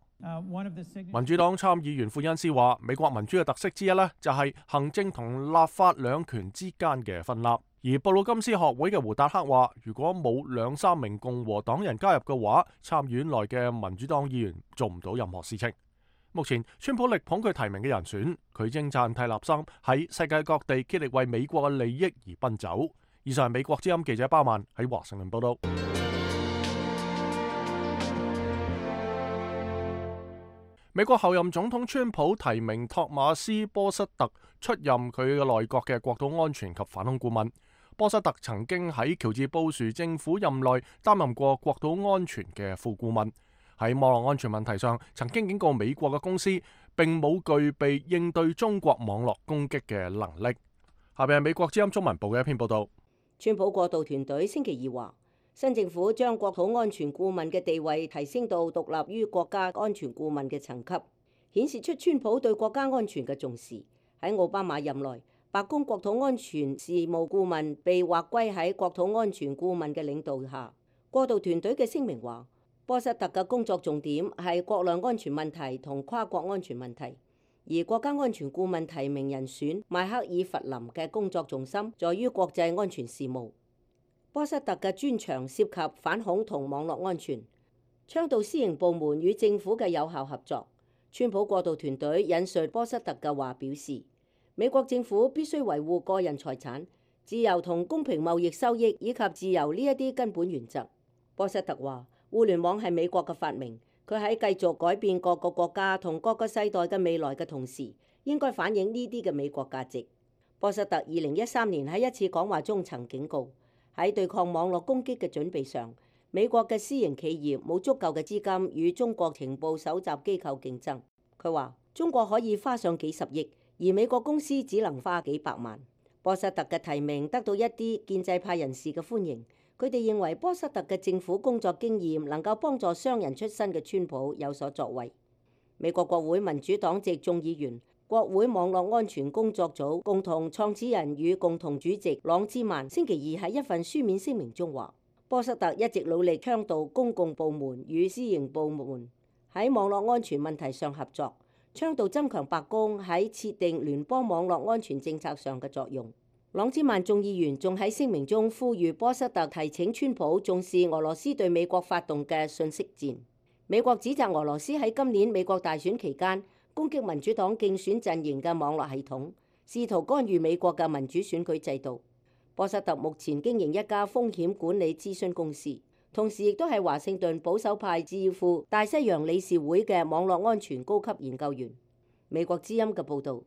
民主黨參議員庫恩斯話，美國民主嘅特色之一呢，就係行政同立法兩權之間嘅分立。而布魯金斯學會嘅胡達克話，如果冇2-3名共和黨人加入嘅話，參院內嘅民主黨議員做唔到任何事情。目前，川普力捧佢提名嘅人選，佢稱讚蒂勒森喺世界各地竭力為美國嘅利益而奔走。以上係美國之音記者包曼喺華盛頓報道。美國後任總統川普提名托馬斯波瑟特出任佢嘅內閣嘅國土安全及反恐顧問。波瑟特曾經喺喬治布殊政府任內擔任過國土安全嘅副顧問，喺網絡安全問題上曾經警告美國嘅公司並冇具備應對中國網絡攻擊嘅能力。下邊係美國之音中文部嘅一篇報道。川普過渡團隊星期二話，新政府將國土安全顧問嘅地位提升到獨立於國家安全顧問嘅層級，顯示出川普對國家安全嘅重視。喺奧巴馬任內，白宮國土安全事務顧問被劃歸喺國土安全顧問嘅領導下。過渡團隊嘅聲明話，波瑟特嘅工作重點係國內安全問題同跨國安全問題，而國家安全顧問提名人選邁克爾弗林嘅工作重心在於國際安全事務。波瑟特嘅專長涉及反恐同網絡安全，倡導私營部門與政府嘅有效合作。川普過渡團隊引述波瑟特嘅話表示，美國政府必須維護個人財產、自由同公平貿易收益以及自由呢一啲根本原則。波瑟特話，互聯網係美國嘅發明，佢喺繼續改變各個國家同各個世代嘅未來嘅同時，應該反映呢啲嘅美國價值。波瑟特2013年喺一次講話中曾警告，喺對抗網絡攻擊嘅準備上，美國嘅私營企業冇足夠嘅資金與中國情報搜集機構競爭。佢話中國可以花上幾十億，而美國公司只能花幾百萬。波瑟特嘅提名得到一啲建制派人士嘅歡迎，佢哋認為波瑟特嘅政府工作經驗能夠幫助商人出身嘅川普有所作為。美國國會民主黨籍眾議員、國會網絡安全工作組共同創始人與共同主席朗茲曼星期二喺一份書面聲明中話，波瑟特一直努力倡導公共部門與私營部門喺網絡安全問題上合作，倡導增強白宮喺設定聯邦網絡安全政策上嘅作用。朗茲曼眾議員仲喺聲明中呼籲波瑟特提請川普重視俄羅斯對美國發動嘅信息戰。美國指責俄羅斯喺今年美國大選期間攻擊民主黨競選陣營嘅網絡系統，試圖干預美國嘅民主選舉制度。波瑟特目前經營一家風險管理諮詢公司，同時亦都係華盛頓保守派智庫大西洋理事會嘅網絡安全高級研究員。美國之音嘅報導。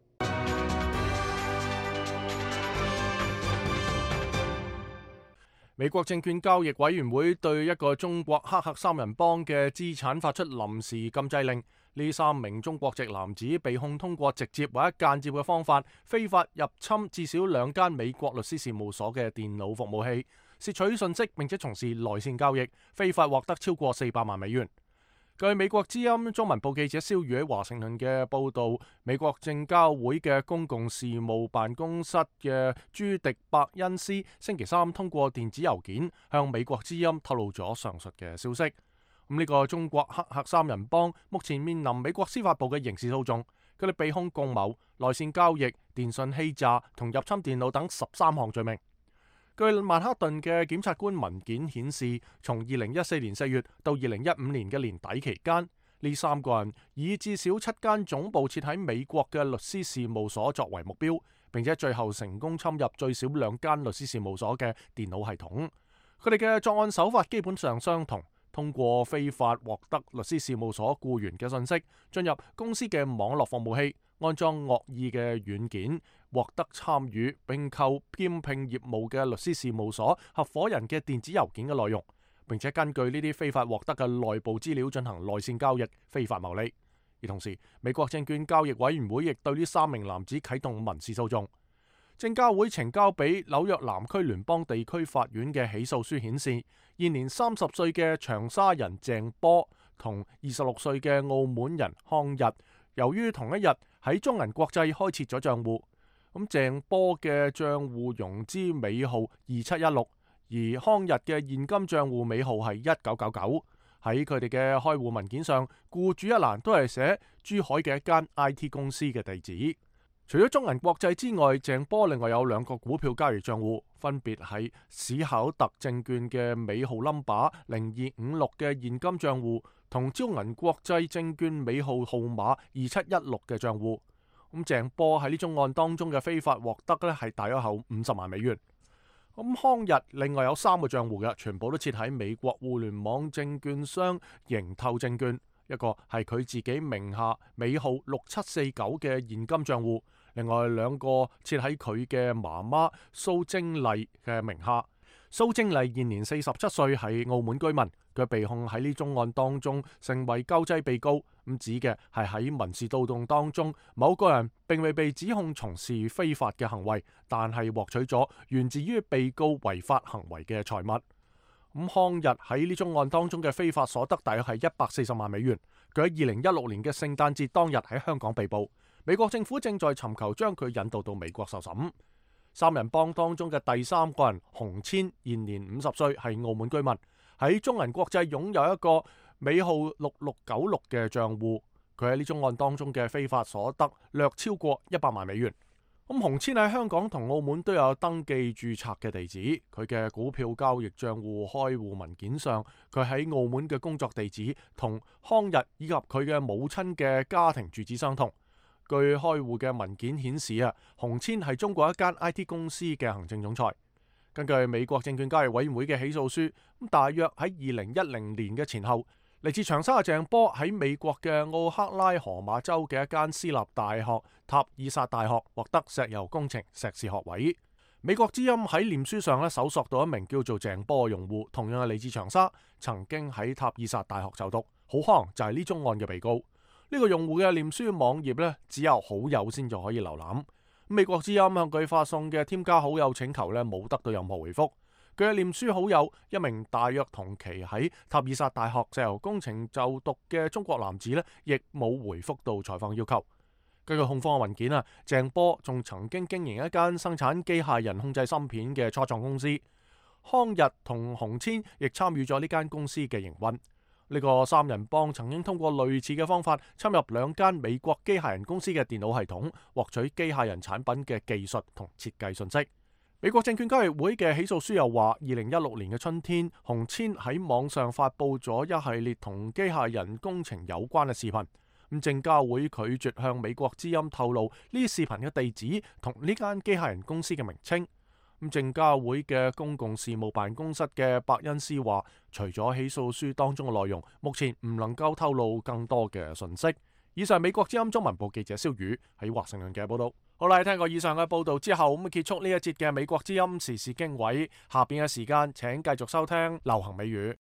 美國證券交易委員會對一個中國黑客三人幫嘅資產發出臨時禁制令。呢3名中國籍男子被控通過直接或者間接嘅方法，非法入侵至少2間美國律師事務所嘅電腦服務器，竊取信息並且從事內線交易，非法獲得超過400萬美元。據美國之音中文部記者蕭宇喺華盛頓嘅報導，美國證交會嘅公共事務辦公室嘅朱迪伯恩斯星期3通過電子郵件向美國之音透露咗上述嘅消息。呢個中國黑客三人幫目前面臨美國司法部嘅刑事訴訟，佢哋被控共謀、內線交易、電信欺詐同入侵電腦等13項罪名。據曼克頓嘅檢察官文件顯示，從2014年4月到2015年嘅年底期間，呢3個人以至少7間總部設喺美國嘅律師事務所作為目標，並且最後成功侵入最少2間律師事務所嘅電腦系統。佢哋嘅作案手法基本上相同，通過非法獲得律師事務所僱員嘅信息，進入公司嘅網絡服務器，安裝惡意嘅軟件，獲得參與並購兼聘業務嘅律師事務所合夥人嘅電子郵件嘅內容，並且根據呢啲非法獲得嘅內部資料進行內線交易，非法牟利。而同時，美國證券交易委員會亦對呢3名男子啟動民事訴訟。證監會呈交俾紐約南區聯邦地區法院嘅起訴書顯示，現年30歲嘅長沙人鄭波同26歲嘅澳門人康日，由於同一日喺中銀國際開設咗帳戶，咁鄭波嘅帳戶融資尾號2716，而康日嘅現金帳戶尾號係1999。喺佢哋嘅開戶文件上，僱主一欄都係寫珠海嘅一間 IT 公司嘅地址。除咗中銀國際之外，鄭波另外有2個股票交易帳戶，分別係史考特證券嘅尾號 number 0256嘅現金帳戶，同招銀國際證券尾號號碼2716嘅帳戶。咁鄭波喺呢宗案當中嘅非法獲得呢係大約後50萬美元。咁康日另外有3個帳戶嘅，全部都設喺美國互聯網證券商盈透證券，一個係佢自己名下尾號6749嘅現金帳戶，另外2個設喺佢嘅媽媽蘇晶麗嘅名下。蘇晶麗現年47歲，係澳門居民，佢被控喺呢宗案當中成為救濟被告，咁指嘅係喺民事訴訟當中，某個人並未被指控從事非法嘅行為，但係獲取咗源自於被告違法行為嘅財物。咁康日喺呢宗案當中嘅非法所得大約係140萬美元。佢喺2016年嘅聖誕節當日喺香港被捕，美國政府正在尋求將佢引渡到美國受審。3人幫當中嘅第3個人洪千現年50歲，係澳門居民，喺中銀國際擁有一個尾號6696嘅帳戶。佢喺呢宗案當中嘅非法所得略超過100萬美元。咁洪千喺香港同澳門都有登記註冊嘅地址，佢嘅股票交易帳戶開戶文件上，佢喺澳門嘅工作地址同康日以及佢嘅母親嘅家庭住址相同。據開戶嘅文件顯示洪千係中國一間 IT 公司嘅行政總裁。根據美國證券交易委員會嘅起訴書，大約喺2010年嘅前後，嚟自長沙嘅鄭波喺美國嘅奧克拉荷馬州嘅一間私立大學塔爾薩大學獲得石油工程碩士學位。美國之音喺臉書上搜索到一名叫做鄭波嘅用戶，同樣係嚟自長沙，曾經喺塔爾薩大學就讀，好可能就係呢宗案嘅被告。呢個用戶嘅臉書網頁只有好友先至可以瀏覽。美國之音向佢發送嘅添加好友請求冇得到任何回覆。佢嘅臉書好友一名大約同期喺塔爾薩大學石油工程就讀嘅中國男子亦冇回覆到採訪要求。根據控方嘅文件鄭波仲曾經經營一間生產機械人控制芯片嘅初創公司。康日同洪千亦參與咗呢間公司嘅營運。呢個3人幫曾經通過類似嘅方法侵入2間美國機械人公司嘅電腦系統，獲取機械人產品嘅技術同設計信息。美國證券交易會嘅起訴書又話，2016年嘅春天，洪千喺網上發布咗一系列同機械人工程有關嘅視頻。咁證交會拒絕向美國之音透露呢啲視頻嘅地址同呢間機械人公司嘅名稱。咁證交會嘅公共事務辦公室嘅伯恩斯話，除咗起訴書當中嘅內容，目前唔能夠透露更多嘅信息。以上美國之音中文部記者蕭宇喺華盛頓嘅報道。好啦，聽過以上嘅報道之後，咁結束呢一節嘅美國之音時事經緯。下邊嘅時間，請繼續收聽流行美語。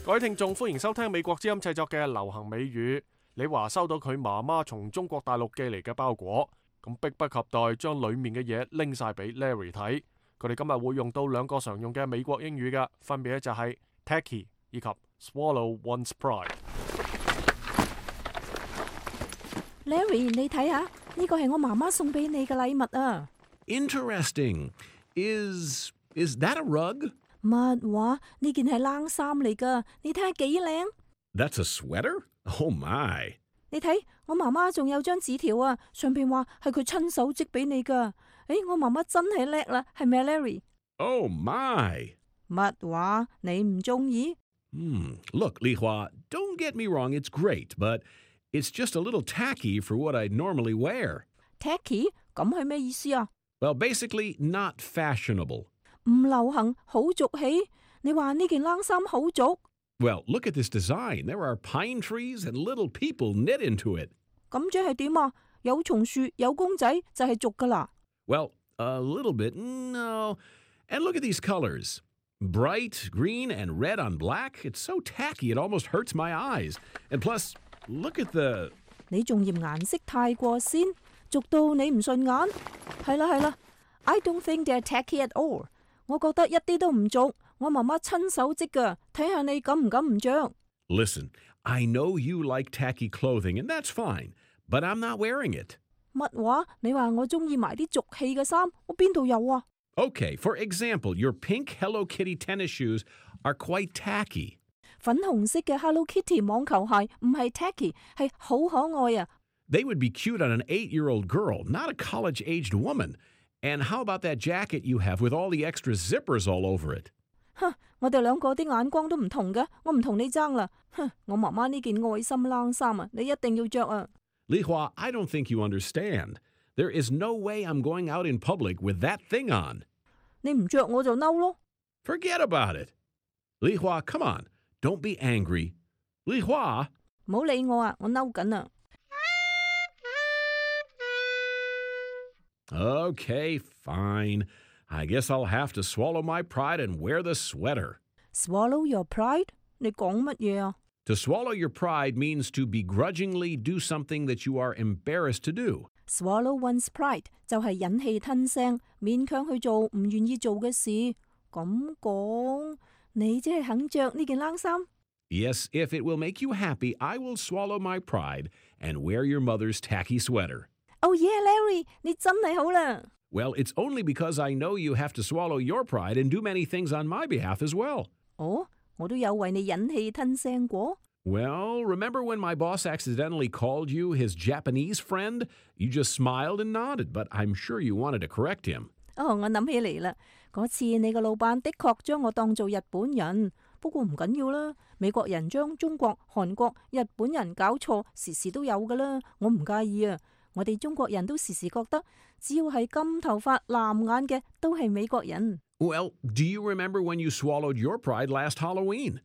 各位聽眾，歡迎收聽美國之音製作嘅流行美語。李華收到佢媽媽從中國大陸寄嚟嘅包裹，咁迫不及待將裏面嘅嘢拎晒俾 Larry 睇。佢哋今日會用到2個常用嘅美國英語嘅，分別就係 tacky 以及 swallow one's pride。Larry， 你睇下，呢個係我媽媽送俾你嘅禮物啊。Interesting. Is that a rug? 乜話？呢件係冷衫嚟噶，你睇下幾靚。That's a sweater? Oh my！ 你睇，我媽媽仲有張紙條啊，上邊話係佢親手織俾你噶。我媽媽真係叻啦，係咪啊 Larry？ Oh my！ 乜話？你唔中意？Look, Li Hua, don't get me wrong, it's great, but it's just a little tacky for what I normally wear. Tacky？ 咁係咩意思啊？ Well, basically, not fashionable. 唔流行，好俗氣。你話呢件冷衫好俗？Well, look at this design. There are pine trees and little people knit into it. 咁即係點啊？有松樹，有公仔，就係俗噶啦。Well, a little bit, no. And look at these colors. Bright green and red on black. It's so tacky it almost hurts my eyes. And plus, look at the 你仲嫌顏色太過鮮，俗到你唔順眼。係啦，I don't think they're tacky at all。我覺得一啲都唔俗，我媽媽親手織㗎，睇下你敢唔敢唔着。Listen, I know you like tacky clothing, and that's fine, but I'm not wearing it. 乜話？你話我中意埋啲俗氣嘅衫，我邊度有啊？ Okay, for example, your pink Hello Kitty tennis shoes are quite tacky. 粉紅色嘅 Hello Kitty 網球鞋唔係 tacky， 係好可愛啊。They would be cute on an 8-year-old girl, not a college-aged woman. And how about that jacket you have with all the extra zippers all over it? 哼，我哋兩個啲眼光都唔同嘅，我唔同你爭啦。哼，我媽媽呢件愛心冷衫啊，你一定要着啊。Li Hua, I don't think you understand. There is no way I'm going out in public with that thing on. 你唔着我就嬲咯。Forget about it. Li Hua, come on. Don't be angry. Li Hua. 唔好理我啊，我嬲緊啊。Okay, fine. I guess I'll have to swallow my pride and wear the sweater. Swallow your pride？ 你講乜嘢啊？ To swallow your pride means to begrudgingly do something that you are embarrassed to do. Swallow one's pride 就係忍氣吞聲，勉強去做唔願意做嘅事。咁講，你即係肯着呢件冷衫？ Yes, if it will make you happy, I will swallow my pride and wear your mother's tacky sweater. Oh yeah, Larry， 你真係好啦。Well, it's only because I know you have to swallow your pride and do many things on my behalf as well. 哦，我都有為你忍氣吞聲過。Well, remember when my boss accidentally called you his Japanese friend? You just smiled and nodded, but I'm sure you wanted to correct him. 哦，我諗起嚟啦，嗰次你個老闆的確將我當做日本人，不過唔緊要啦。美國人將中國、韓國、日本人搞錯，時時都有噶啦，我唔介意啊。我哋中國人都時時覺得，只要係金頭髮、藍眼嘅，都係美國人。Well, do you remember when you swallowed your pride last Halloween?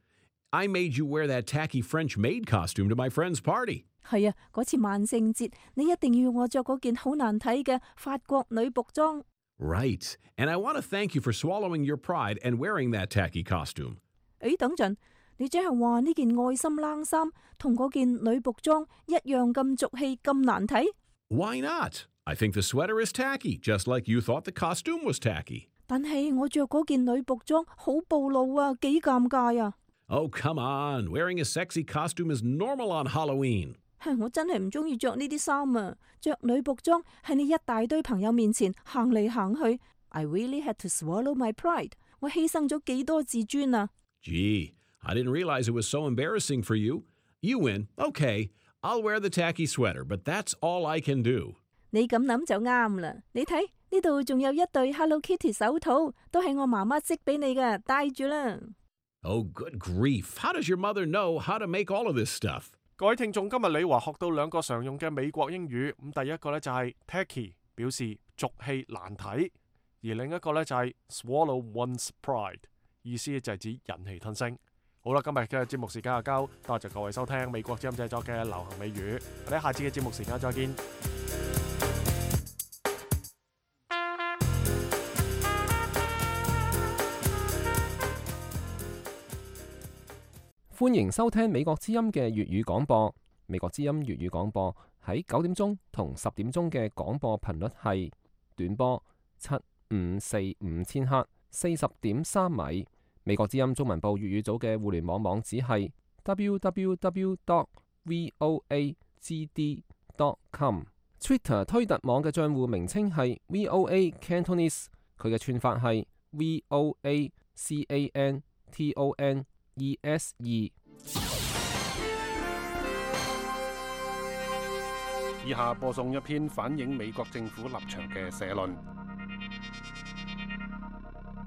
I made you wear that tacky French maid costume to my friend's party. 係啊，嗰次萬聖節，你一定要我着嗰件好難睇嘅法國女僕裝。Right, and I want to thank you for swallowing your pride and wearing that tacky costume. 誒，等陣，你即係話呢件愛心冷衫同嗰件女僕裝一樣咁俗氣、咁難睇？ Why not? I think the sweater is tacky, just like you thought the costume was tacky. 但係我着嗰件女僕裝好暴露啊，幾尷尬啊！ Oh, come on. Wearing a sexy costume is normal on Halloween. 我真係唔中意着呢啲衫啊！着女僕裝喺你一大堆朋友面前行嚟行去 ，I really had to swallow my pride。我犧牲咗幾多自尊啊 Gee, I didn't realize it was so embarrassing for you. You win. Okay, I'll wear the tacky sweater, but that's all I can do. 你咁諗就啱啦。你睇呢度仲有一對 Hello Kitty 手套，都係我媽媽織俾你嘅，戴住啦。Oh, good grief. How does your mother know how to make all of this stuff? 各位聽眾，今日李華學到兩個常用嘅美國英語。咁第一個呢就係 tacky， 表示俗氣難睇；而另一個呢就係 swallow one's pride， 意思就係指忍氣吞聲。好啦，今日嘅節目時間就夠，多謝各位收聽美國之音製作嘅流行美語。我哋下次嘅節目時間再見。歡迎收聽美國之音嘅粵語廣播。美國之音粵語廣播喺9點鐘同10點鐘嘅廣播頻率係短波7545千赫40.3米。美國之音中文部粵語組嘅互聯網網址係 www.voagd.com。Twitter 推特網嘅帳戶名稱係 VOA Cantonese， 佢嘅串法係 VOACANTONESE。以下播送一篇反映美國政府立場嘅社論。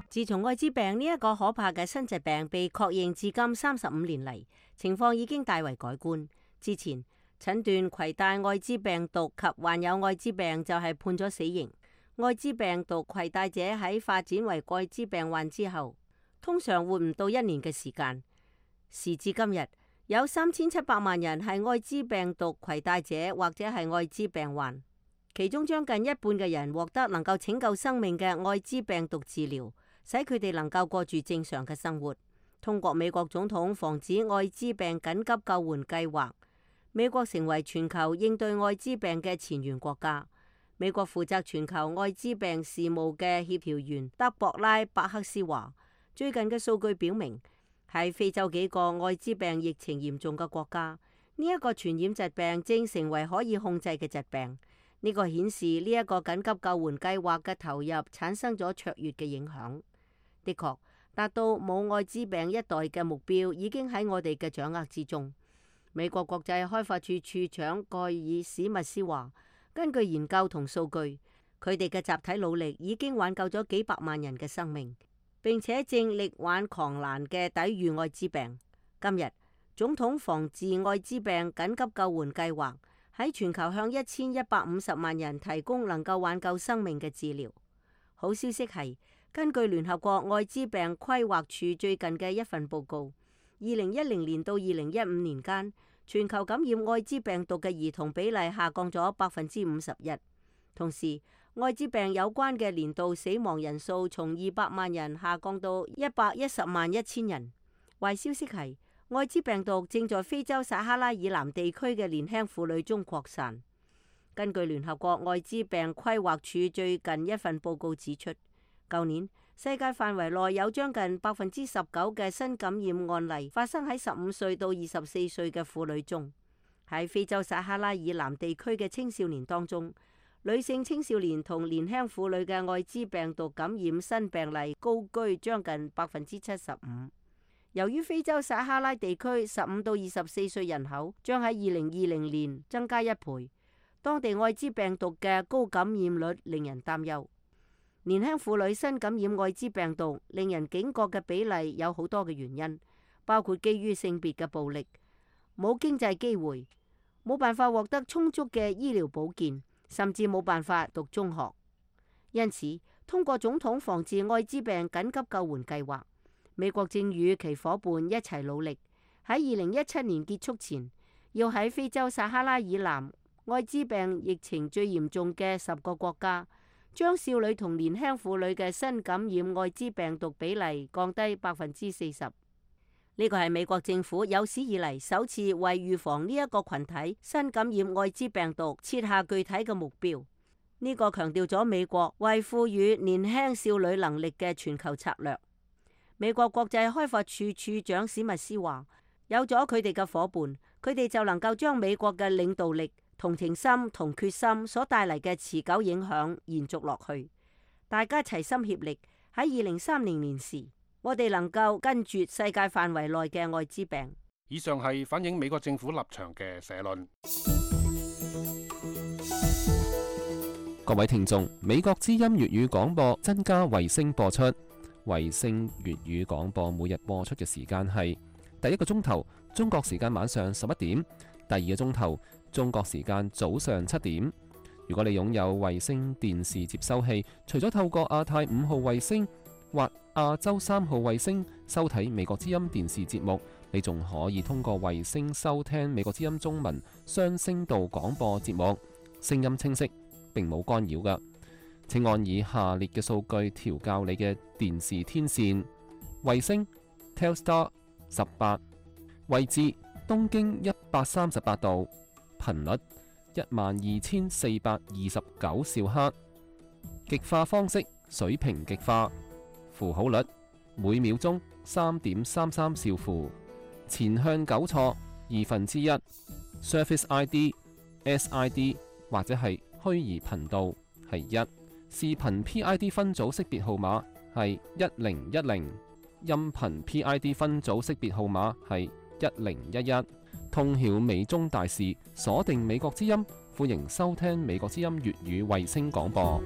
自從愛滋病呢一個可怕嘅新疾病被確認至今35年嚟，情況已經大為改觀。之前診斷攜帶愛滋病毒及患有愛滋病就係判咗死刑。愛滋病毒攜帶者喺發展為愛滋病患之後，通常活唔到1年嘅時間。時至今日，有3700萬人係愛滋病毒攜帶者或者係愛滋病患，其中將近一半嘅人獲得能夠拯救生命嘅愛滋病毒治療，使佢哋能夠過住正常嘅生活。通過美國總統防止愛滋病緊急救援計劃，美國成為全球應對艾滋病嘅前沿國家。美國負責全球艾滋病事務嘅協調員德博拉·伯克斯話，最近嘅數據表明，喺非洲幾個艾滋病疫情嚴重嘅國家，呢一個傳染疾病正成為可以控制嘅疾病。呢個顯示呢一個緊急救援計劃嘅投入產生咗卓越嘅影響。的確，達到冇艾滋病一代嘅目標已經喺我哋嘅掌握之中。美國國際開發處處長蓋爾史密斯話，根據研究同數據，佢哋嘅集體努力已經挽救咗幾百萬人嘅生命，並且正力挽狂瀾嘅抵禦艾滋病。今日，總統防治艾滋病緊急救援計劃喺全球向1150萬人提供能夠挽救生命嘅治療。好消息係，根據聯合國艾滋病規劃處最近嘅一份報告，2010年到2015年間，全球感染艾滋病毒嘅兒童比例下降咗51%。同時，艾滋病有關嘅年度死亡人數從200萬人下降到110萬1000人。壞消息係，艾滋病毒正在非洲撒哈拉以南地區嘅年輕婦女中擴散。根據聯合國艾滋病規劃處最近一份報告指出，舊年世界範圍內有將近19%嘅新感染案例發生喺15歲到24歲嘅婦女中。喺非洲撒哈拉以南地區嘅青少年當中，女性青少年同年輕婦女嘅艾滋病毒感染新病例高居將近75%。由於非洲撒哈拉地區15到24歲人口將喺2020年增加1倍，當地艾滋病毒嘅高感染率令人擔憂。年輕婦女新感染艾滋病毒令人警覺嘅比例有好多嘅原因，包括基於性別嘅暴力、冇經濟機會、冇辦法獲得充足嘅醫療保健，甚至冇辦法讀中學。因此，通過總統防治艾滋病緊急救援計劃，美國正與其夥伴一齊努力，喺2017年結束前，要喺非洲撒哈拉以南艾滋病疫情最嚴重嘅10個國家，將少女同年輕婦女嘅新感染艾滋病毒比例降低40%。呢個係美國政府有史以嚟首次為預防呢一個群體新感染艾滋病毒設下具體嘅目標。呢個強調咗美國為賦予年輕少女能力嘅全球策略。美國國際開發處處長史密斯話，有咗佢哋嘅夥伴，佢哋就能夠將美國嘅領導力、同情心同決心所帶嚟嘅持久影響延續落去。大家齊心協力，喺2030年時，我哋能夠根絕世界範圍內嘅艾滋病。以上係反映美國政府立場嘅社論。各位聽眾，美國之音粵語廣播增加衛星播出。衛星粵語廣播每日播出嘅時間係第一個鐘頭中國時間晚上11點，第二個鐘頭中國時間早上7點。如果你擁有衛星電視接收器，除咗透過亞太5號衛星或亞洲3號衛星收睇美國之音電視節目，你仲可以通過衛星收聽美國之音中文雙聲道廣播節目，聲音清晰，並冇干擾㗎。請按以下列嘅數據調校你嘅電視天線：衛星 Telstar 18，位置東經138度，頻率12429兆赫，極化方式水平極化，符號率每秒鐘3.33兆符，前向糾錯1/2， Surface ID SID 或者係虛擬頻道係1，視頻 PID 分組識別號碼係1010，音頻 PID 分組識別號碼係1011。通曉美中大事，鎖定美國之音，歡迎收聽美國之音粵語衛星廣播。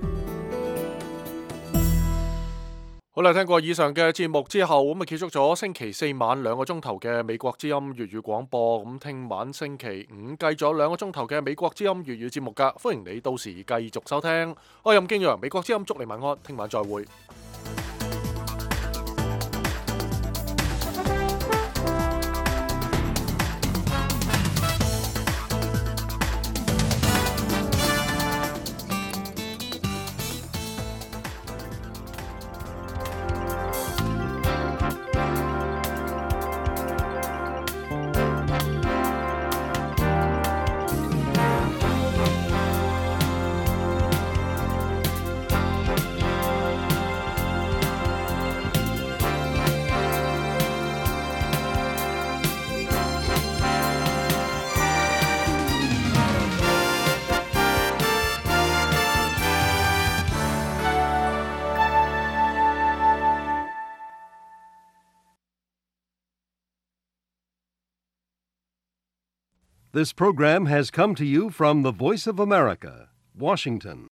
好啦，聽過以上嘅節目之後，咁啊結束咗星期4晚2個鐘頭嘅美國之音粵語廣播。咁聽晚星期5繼續2個鐘頭嘅美國之音粵語節目噶，歡迎你到時繼續收聽。我係任敬陽，美國之音祝你晚安，聽晚再會。This program has come to you from the Voice of America, Washington.